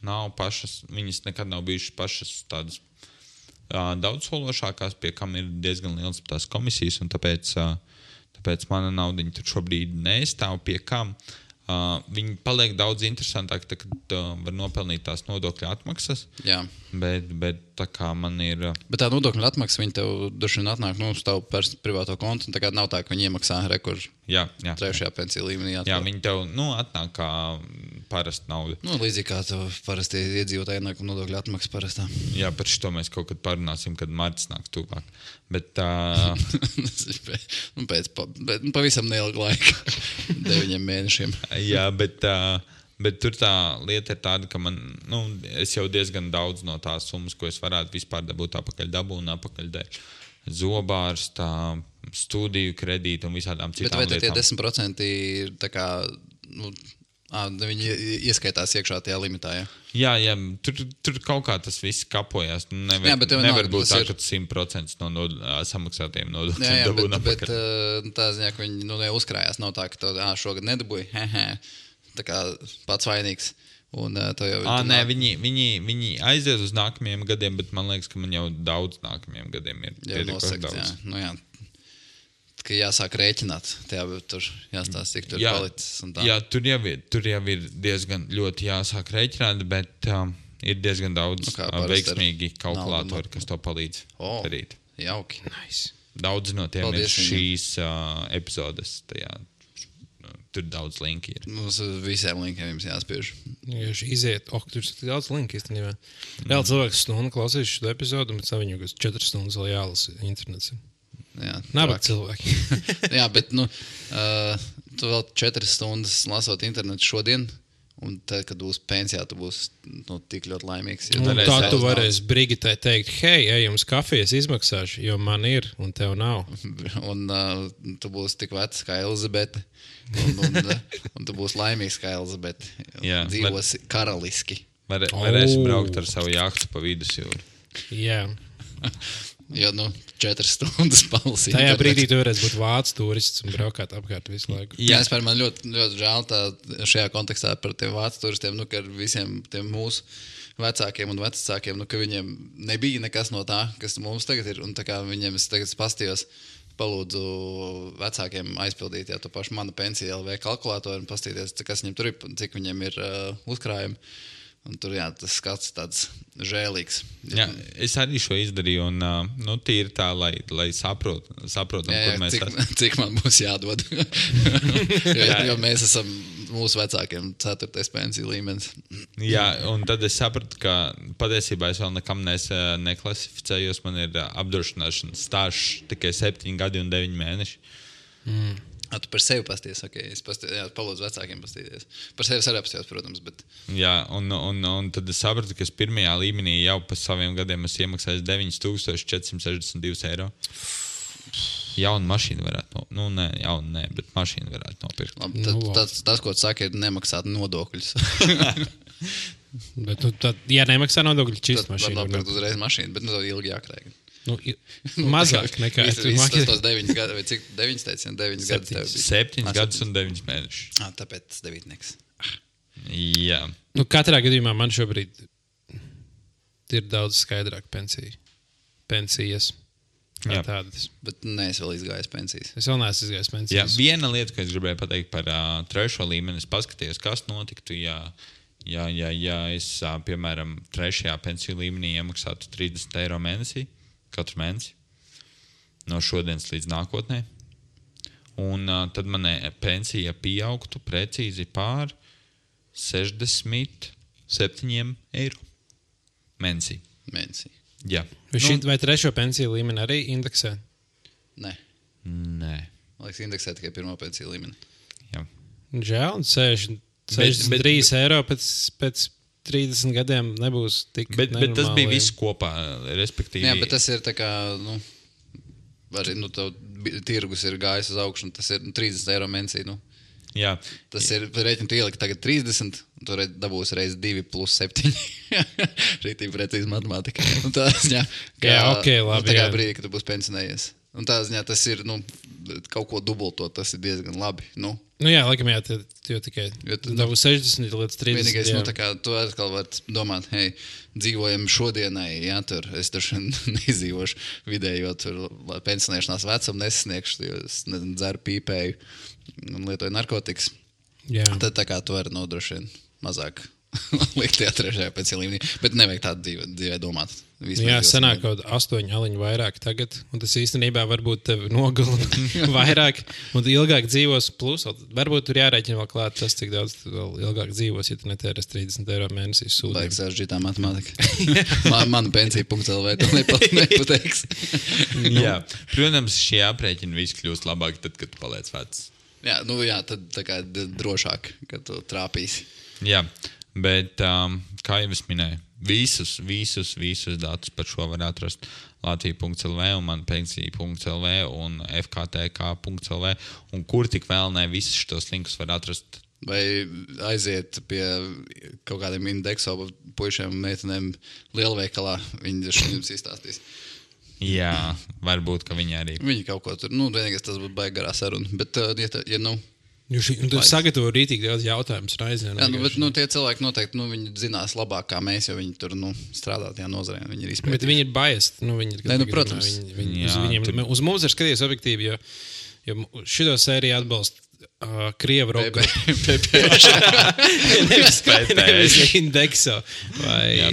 nav pašas, viņas nekad nav bijušas pašas tādas uh, daudzsološākās, pie kam ir diezgan liels tās komisijas, un tāpēc, uh, tāpēc mana naudiņa tur šobrīd nestāv pie kam. Uh, viņi paliek daudz interesantāk, tā, kad uh, var nopelnīt tās nodokļu atmaksas, Jā. bet, bet tā kā man ir... Uh, Bet tā nodokļu atmaksa, viņi tev droši vien atnāk nu, uz tavu pers- privāto kontu, un tā kā nav tā, ka viņi iemaksā rekur jā, jā, trešajā pensiju līmenī. jā, Atkal. viņi tev nu, atnāk kā parasta nauda. Nu, līdzīgi kā tev parasti iedzīvotāji ienākuma nodokļu atmaksa parastā. Jā, par šo mēs kaut kad parunāsim, kad marts nāks tuvāk. Bet, uh, nu, pēc pa, bet, nu, pavisam neilga laika, deviņiem mēnešiem. jā, bet, uh, bet tur tā lieta ir tāda, ka man, nu, es jau diezgan daudz no tās summas, ko es varētu vispār dabūt apakaļ dabu un apakaļ dēļ zobārstā, studiju kredītu un visādām Bet citām vai tad tie lietām. desmit procenti ir tā kā, nu, ā, viņi ieskaitās iekšā tajā limitā, ja? Jā, jā tur, tur kaut kā tas viss kapojās. Nevar, Jā, bet tev nevar nav- būt tas tā, ir- ka simt procenti no nod, samaksātiem Jā, nodokļiem jā, dabūna bet, bet apakaļ. ā, tā ziņā, ka viņi nu, neuzkrājās, nav tā, ka tu ā, šogad nedabūji, hehe, tā kā pats vainīgs. Un ā, to jau À, tu nē, nāk- viņi, viņi, viņi aizies uz nākamajiem gadiem, bet man liekas, ka man jau daudz nākamajiem gadiem ir jau pietiekoši nosakts, jā. daudz. Nu, jā. Ka jāsāk rēķināt, tajā tur jāstāsta, cik tur ir Jā, palicis. un tā. jā tur, jau ir, tur jau ir diezgan ļoti jāsāk rēķināt, bet um, ir diezgan daudz Nu, kā uh, parasti veiksmīgi ar kalkulātori, naudu. kas to palīdz O. darīt. Jauki. Nice. Daudz no tiem Paldies ir viņiem. šīs uh, epizodes tajā uh, tur daudz linki ir. Mums visiem linkiem jums jāspiež. Ja iziet, ok, tur ir daudz linki īstenībā. Vēl cilvēks stundu klausīs šo epizodu, bet savu viņu četras stundas vēl jālasa internets. Jā, Nabaga cilvēki. Jā, bet, nu, uh, tu vēl četras stundas lasot internetu šodien, un tad, kad būs pensijā, tu būsi nu, tik ļoti laimīgs. Un tā tu varēsi Brigitai teikt, hei, ej, jums kafijas izmaksāšu, jo man ir, un tev nav. Un uh, tu būsi tik vecs kā Elizabete, un, un, uh, un tu būsi laimīgs kā Elizabete. Jā, dzīvosi var, karaliski. Var, varēsi oh. braukt ar savu jahtu pa vidusjūru. Jā. Jo, nu, četras stundas palasīt. Tajā brīdī tu varēsi būt vācu turists un braukāt apkārt visu laiku. Jā, es par man ļoti, ļoti žēl tā šajā kontekstā par tiem vācu turistiem, nu, ka ar visiem tiem mūsu vecākiem un vecākiem, nu, ka viņiem nebija nekas no tā, kas mums tagad ir. Un tā kā viņiem es tagad pastījos, palūdzu vecākiem aizpildīt, jā, to pašu mana pensija L V kalkulātoru un pastīties, kas viņiem tur ir, cik viņiem ir uh, uzkrājumi. Un tur, jā, tas skats tāds žēlīgs. Jā, es arī šo izdarīju, un uh, nu, tīri tā, lai, lai saprot, saprotam, jā, jā, kur mēs cik, esam. Cik man būs jādod. jo, jo mēs esam mūsu vecākiem ceturtais pensiju līmenis. Jā, un tad es sapratu, ka patiesībā es vēl nekam nes, neklasificējos. Man ir apdrošināšanas stāžs tikai septiņi gadi un deviņi mēneši. Mm. A, tu par sevi pasties, ok, es pasties, jā, palūdzu vecākiem pastīties. Par sevi arī apstījos, protams, bet... Jā, un, un, un tad es sapratu, ka es pirmajā līmenī jau pa saviem gadiem esmu iemaksājis deviņi tūkstoši četri simti sešdesmit divi eiro. Jauna mašīna varētu nopirkt. Nu, nē, jauna nē, bet mašīna varētu nopirkt. Labi, tad, nu, tas, tas, ko tu saki, ir nemaksāt nodokļus. bet, nu, tad, ja nemaksā nodokļus, čist mašīnu. Tad nopirkt uzreiz mašīnu, bet nu, ilgi jākrēga. Nu, mazāk nekā es domāju. Tas deviņas gadi, vai cik deviņas teici, deviņas gadus tev bija? Septiņas gadus un deviņas mēnešus. Ah, tāpēc devītnieks. Jā. Nu, katrā gadījumā man šobrīd ir daudz skaidrāk pensija. Pensijas. Jā. Tādas. Bet neesi vēl izgājis pensijas. Es vēl neesmu izgājis pensijas. Jā, viena lieta, ko es gribēju pateikt par uh, trešo līmeni, es paskatījos, kas notiktu, ja, ja, ja, ja es, uh, piemēram, trešajā pensiju līmenī iemaksātu trīsdesmit eiro mēnesī. Katru mēnesi, no šodienas līdz nākotnē. Un uh, tad manai pensija pieaugtu precīzi pār sešdesmit septiņiem eiro mēnesī. Mēnesī. Jā. Vai, šī, vai trešo pensiju līmeni arī indeksē? Nē. Nē. Man liekas, indeksē tikai pirmo pensiju līmeni. Jā. Žēl, un sešdesmit trīs eiro pēc... pēc trīsdesmit gadiem nebūs tik bet, bet tas bija viss kopā, respektīvi. Jā, bet tas ir tā kā, nu, arī, nu, tev tirgus ir gājis uz augšu, un tas ir nu, trīsdesmit eiro mēnesī, nu. Jā. Tas ir, rēķinu, tu ieliki tagad trīsdesmit, un tu dabūsi reiz divi plus septiņi. Rītīgi precīzi matemātika. Un tā ziņā, kā, jā, ok, labi, nu, tā kā jā. brīdī, ka tu būsi pensionējies. Un tā ziņā tas ir, nu, kaut ko dubultot, tas ir diezgan labi, nu. Nu jā, laikam jā, jo tikai dabu sešdesmit līdz trīsdesmit. Vienīgais, nu, tā kā tu atkal vari domāt, hei, dzīvojam šodienai, jā, tur es tur neizdzīvošu vidējo tur pensionēšanās vecumu nesasniegšu, jo es nezinu, dzeru pīpēju un lietoju narkotikas. Jā. Tad tā kā tu vari nodrošināt mazāk likt tajā trešajā pensiju līmenī, bet nevajag tādu dzīvē, dzīvē domāt. Jā, sanāk kaut astoņi aliņu vairāk tagad, un tas īstenībā varbūt tevi nogalina vairāk, un ilgāk dzīvos, plus, varbūt tur jārēķina vēl klāt tas, cik daudz vēl ilgāk dzīvos, ja tu netērēs trīsdesmit eiro mēnesī sūdiem. Baigs saržģītā matemātika. Man, mana pensija punkts L V to nepateiks. Jā, protams, šie aprēķini viss kļūst labāk tad, kad tu paliec vecs. Jā, nu jā, tad tā kā drošāk, kad tu trāpīsi. Jā, bet um, kā jau es minēju, visus, visus, visus datus par šo var atrast Latvija punkts L V un man pensija punkts L V un F K T K punkts L V un kur tik vēl ne visus šitos linkus var atrast. Vai aiziet pie kaut kādiem indekso puišiem un meitenēm lielveikalā, viņi jums izstāstīs. Jā, varbūt, ka viņi arī. Viņi kaut ko tur, nu, vienīgais tas būtu baigi garā saruna, bet, uh, ja, tā, ja nu... Jūs tur sagatavo rītīgi daudz jautājumus raizē. Jā, nu, bet, nu, tie cilvēki noteikti, nu, viņi zinās labāk kā mēs, jo viņi tur, nu, strādā tajā nozarē, viņi ir izpētīti. Bet viņi ir biased, nu, viņi ir... Nē, nu, protams. Viņi, viņi, Jā, uz, viņiem, tur... uz mums ir skatījies objektīvi, jo, jo šito sēriju atbalsta uh, Krievu roka. P P Š. nevis, nevis indekso. Vai, Jā,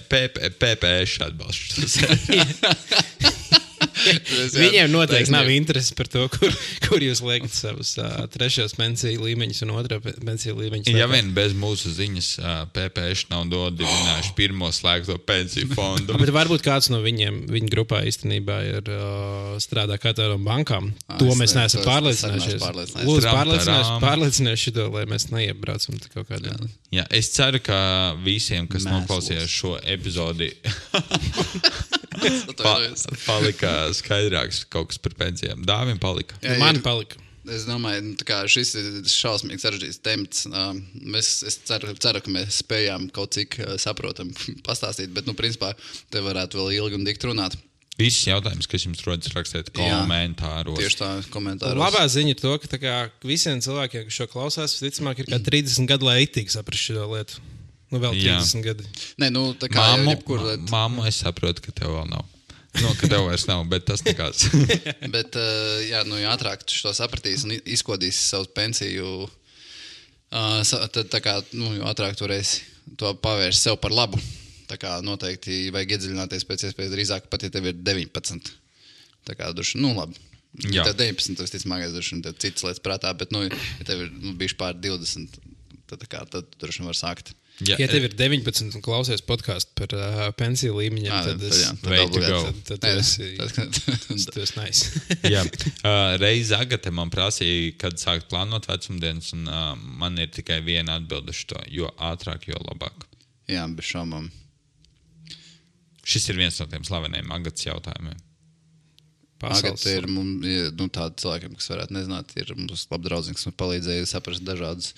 P P Š atbalsta. Viņiem noteikti nav interesi par to, kur, kur jūs liekat savus uh, trešos pensiju līmeņus un otrā pensiju līmeņus. Ja vien bez mūsu ziņas uh, P P Š nav dodibinājuši pirmo slēgto pensiju fondu. Bet varbūt kāds no viņiem, viņa grupā īstenībā ir uh, strādā kā tādām bankām. Ah, to es mēs ne- neesam to es pārliecinājušies. pārliecinājušies. Lūdzu, Tram, pārliecināties, taram. pārliecināties šito, lai mēs neiebraucam te kaut kādā. Jā, es ceru, ka visiem, kas Mēslos. noklausījās šo epizodi, pa, Atvainojos. palika skaidrāks kaut kas par pensijām. Dāvim palika. Jā, Man ir- palika. Es domāju, nu, tā kā šis ir šausmīgi sarežģīts temats. Uh, mēs, es ceru, ceru, ka mēs spējām kaut cik uh, saprotam pastāstīt, bet, nu, principā, te varētu vēl ilgi un dikti runāt. Visus jautājumus, kas jums rodas, rakstiet komentāros. Tieši tā, komentāros. Labā ziņa ir to, ka tā kā, visiem cilvēkiem, kas šo klausās, visticamāk, ir kā trīsdesmit gadu, lai itīgi saprast šo lietu. Nu, vēl Jā. trīsdesmit gadi. Nē, nu, tā kā Māmu, jebkur, māmu, es saprotu, ka tev vēl nav. No, ka tev vairs nav, bet tas nekāds. bet, uh, jā, nu, jo ātrāk tu to sapratīs un izkodīs savu pensiju, uh, sa- tad, tā kā, nu, jo ātrāk tu varēsi to pavērst sev par labu. Tā kā noteikti vajag iedziļināties pēc iespējas drīzāk, pat ja tev ir deviņpadsmit. Tā kā, duši, nu, labi. Jā. Ja tev deviņpadsmit, tas visticamākais, duši, tev citas lietas prātā, bet, nu, ja tev ir nu, bijuši pār divdesmit, tad, tā kā, tad tu droši vien var sākt. Ja, Ja tev ir deviņpadsmit un klausies podkāstu par uh, pensiju līmeņiem, Ā, tad tad es jā, tad way to obligāti. go. tad, tad tu Nē, esi, tad- tu esi nice. Jā, uh, reiz Agate man prasīja, kad sākt plānot vecumdienas, un uh, man ir tikai viena atbilde uz to, jo ātrāk, jo labāk. Jā, bez šaubām. Šis ir viens no tiem slaveniem Agatas jautājumiem. Pasaules. Agata ir mums, ir, nu, tādi cilvēkiem, kas varētu nezināt, ir mums labi draudzīgi, kas mums palīdzēja saprast dažādus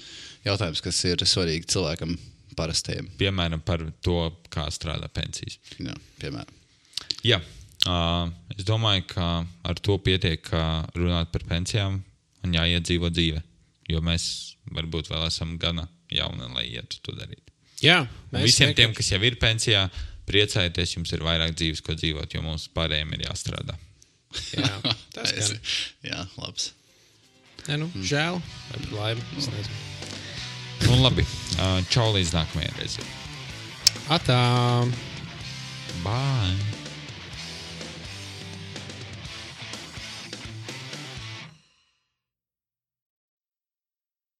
jautājumus, kas ir svarīgi cilvēkam parastajiem. Piemēram, par to, kā strādā pensijas. Jā, piemēram. Jā, uh, es domāju, ka ar to pietiek uh, runāt par pensijām un jāiedzīvo dzīve, jo mēs varbūt vēl esam gana jauni, lai ietu to darīt. Jā, Un visiem tiem, kas jau ir pensijā, priecājieties, jums ir vairāk dzīves, ko dzīvot, jo mums pārējiem ir jāstrādā. Jā, tas Es- gan. Jā, labs. Nē, nu, žēl vai par laimi. Es nezinu. Un labi, uh, čau līdz nākamajai reizei. Atā! Bye!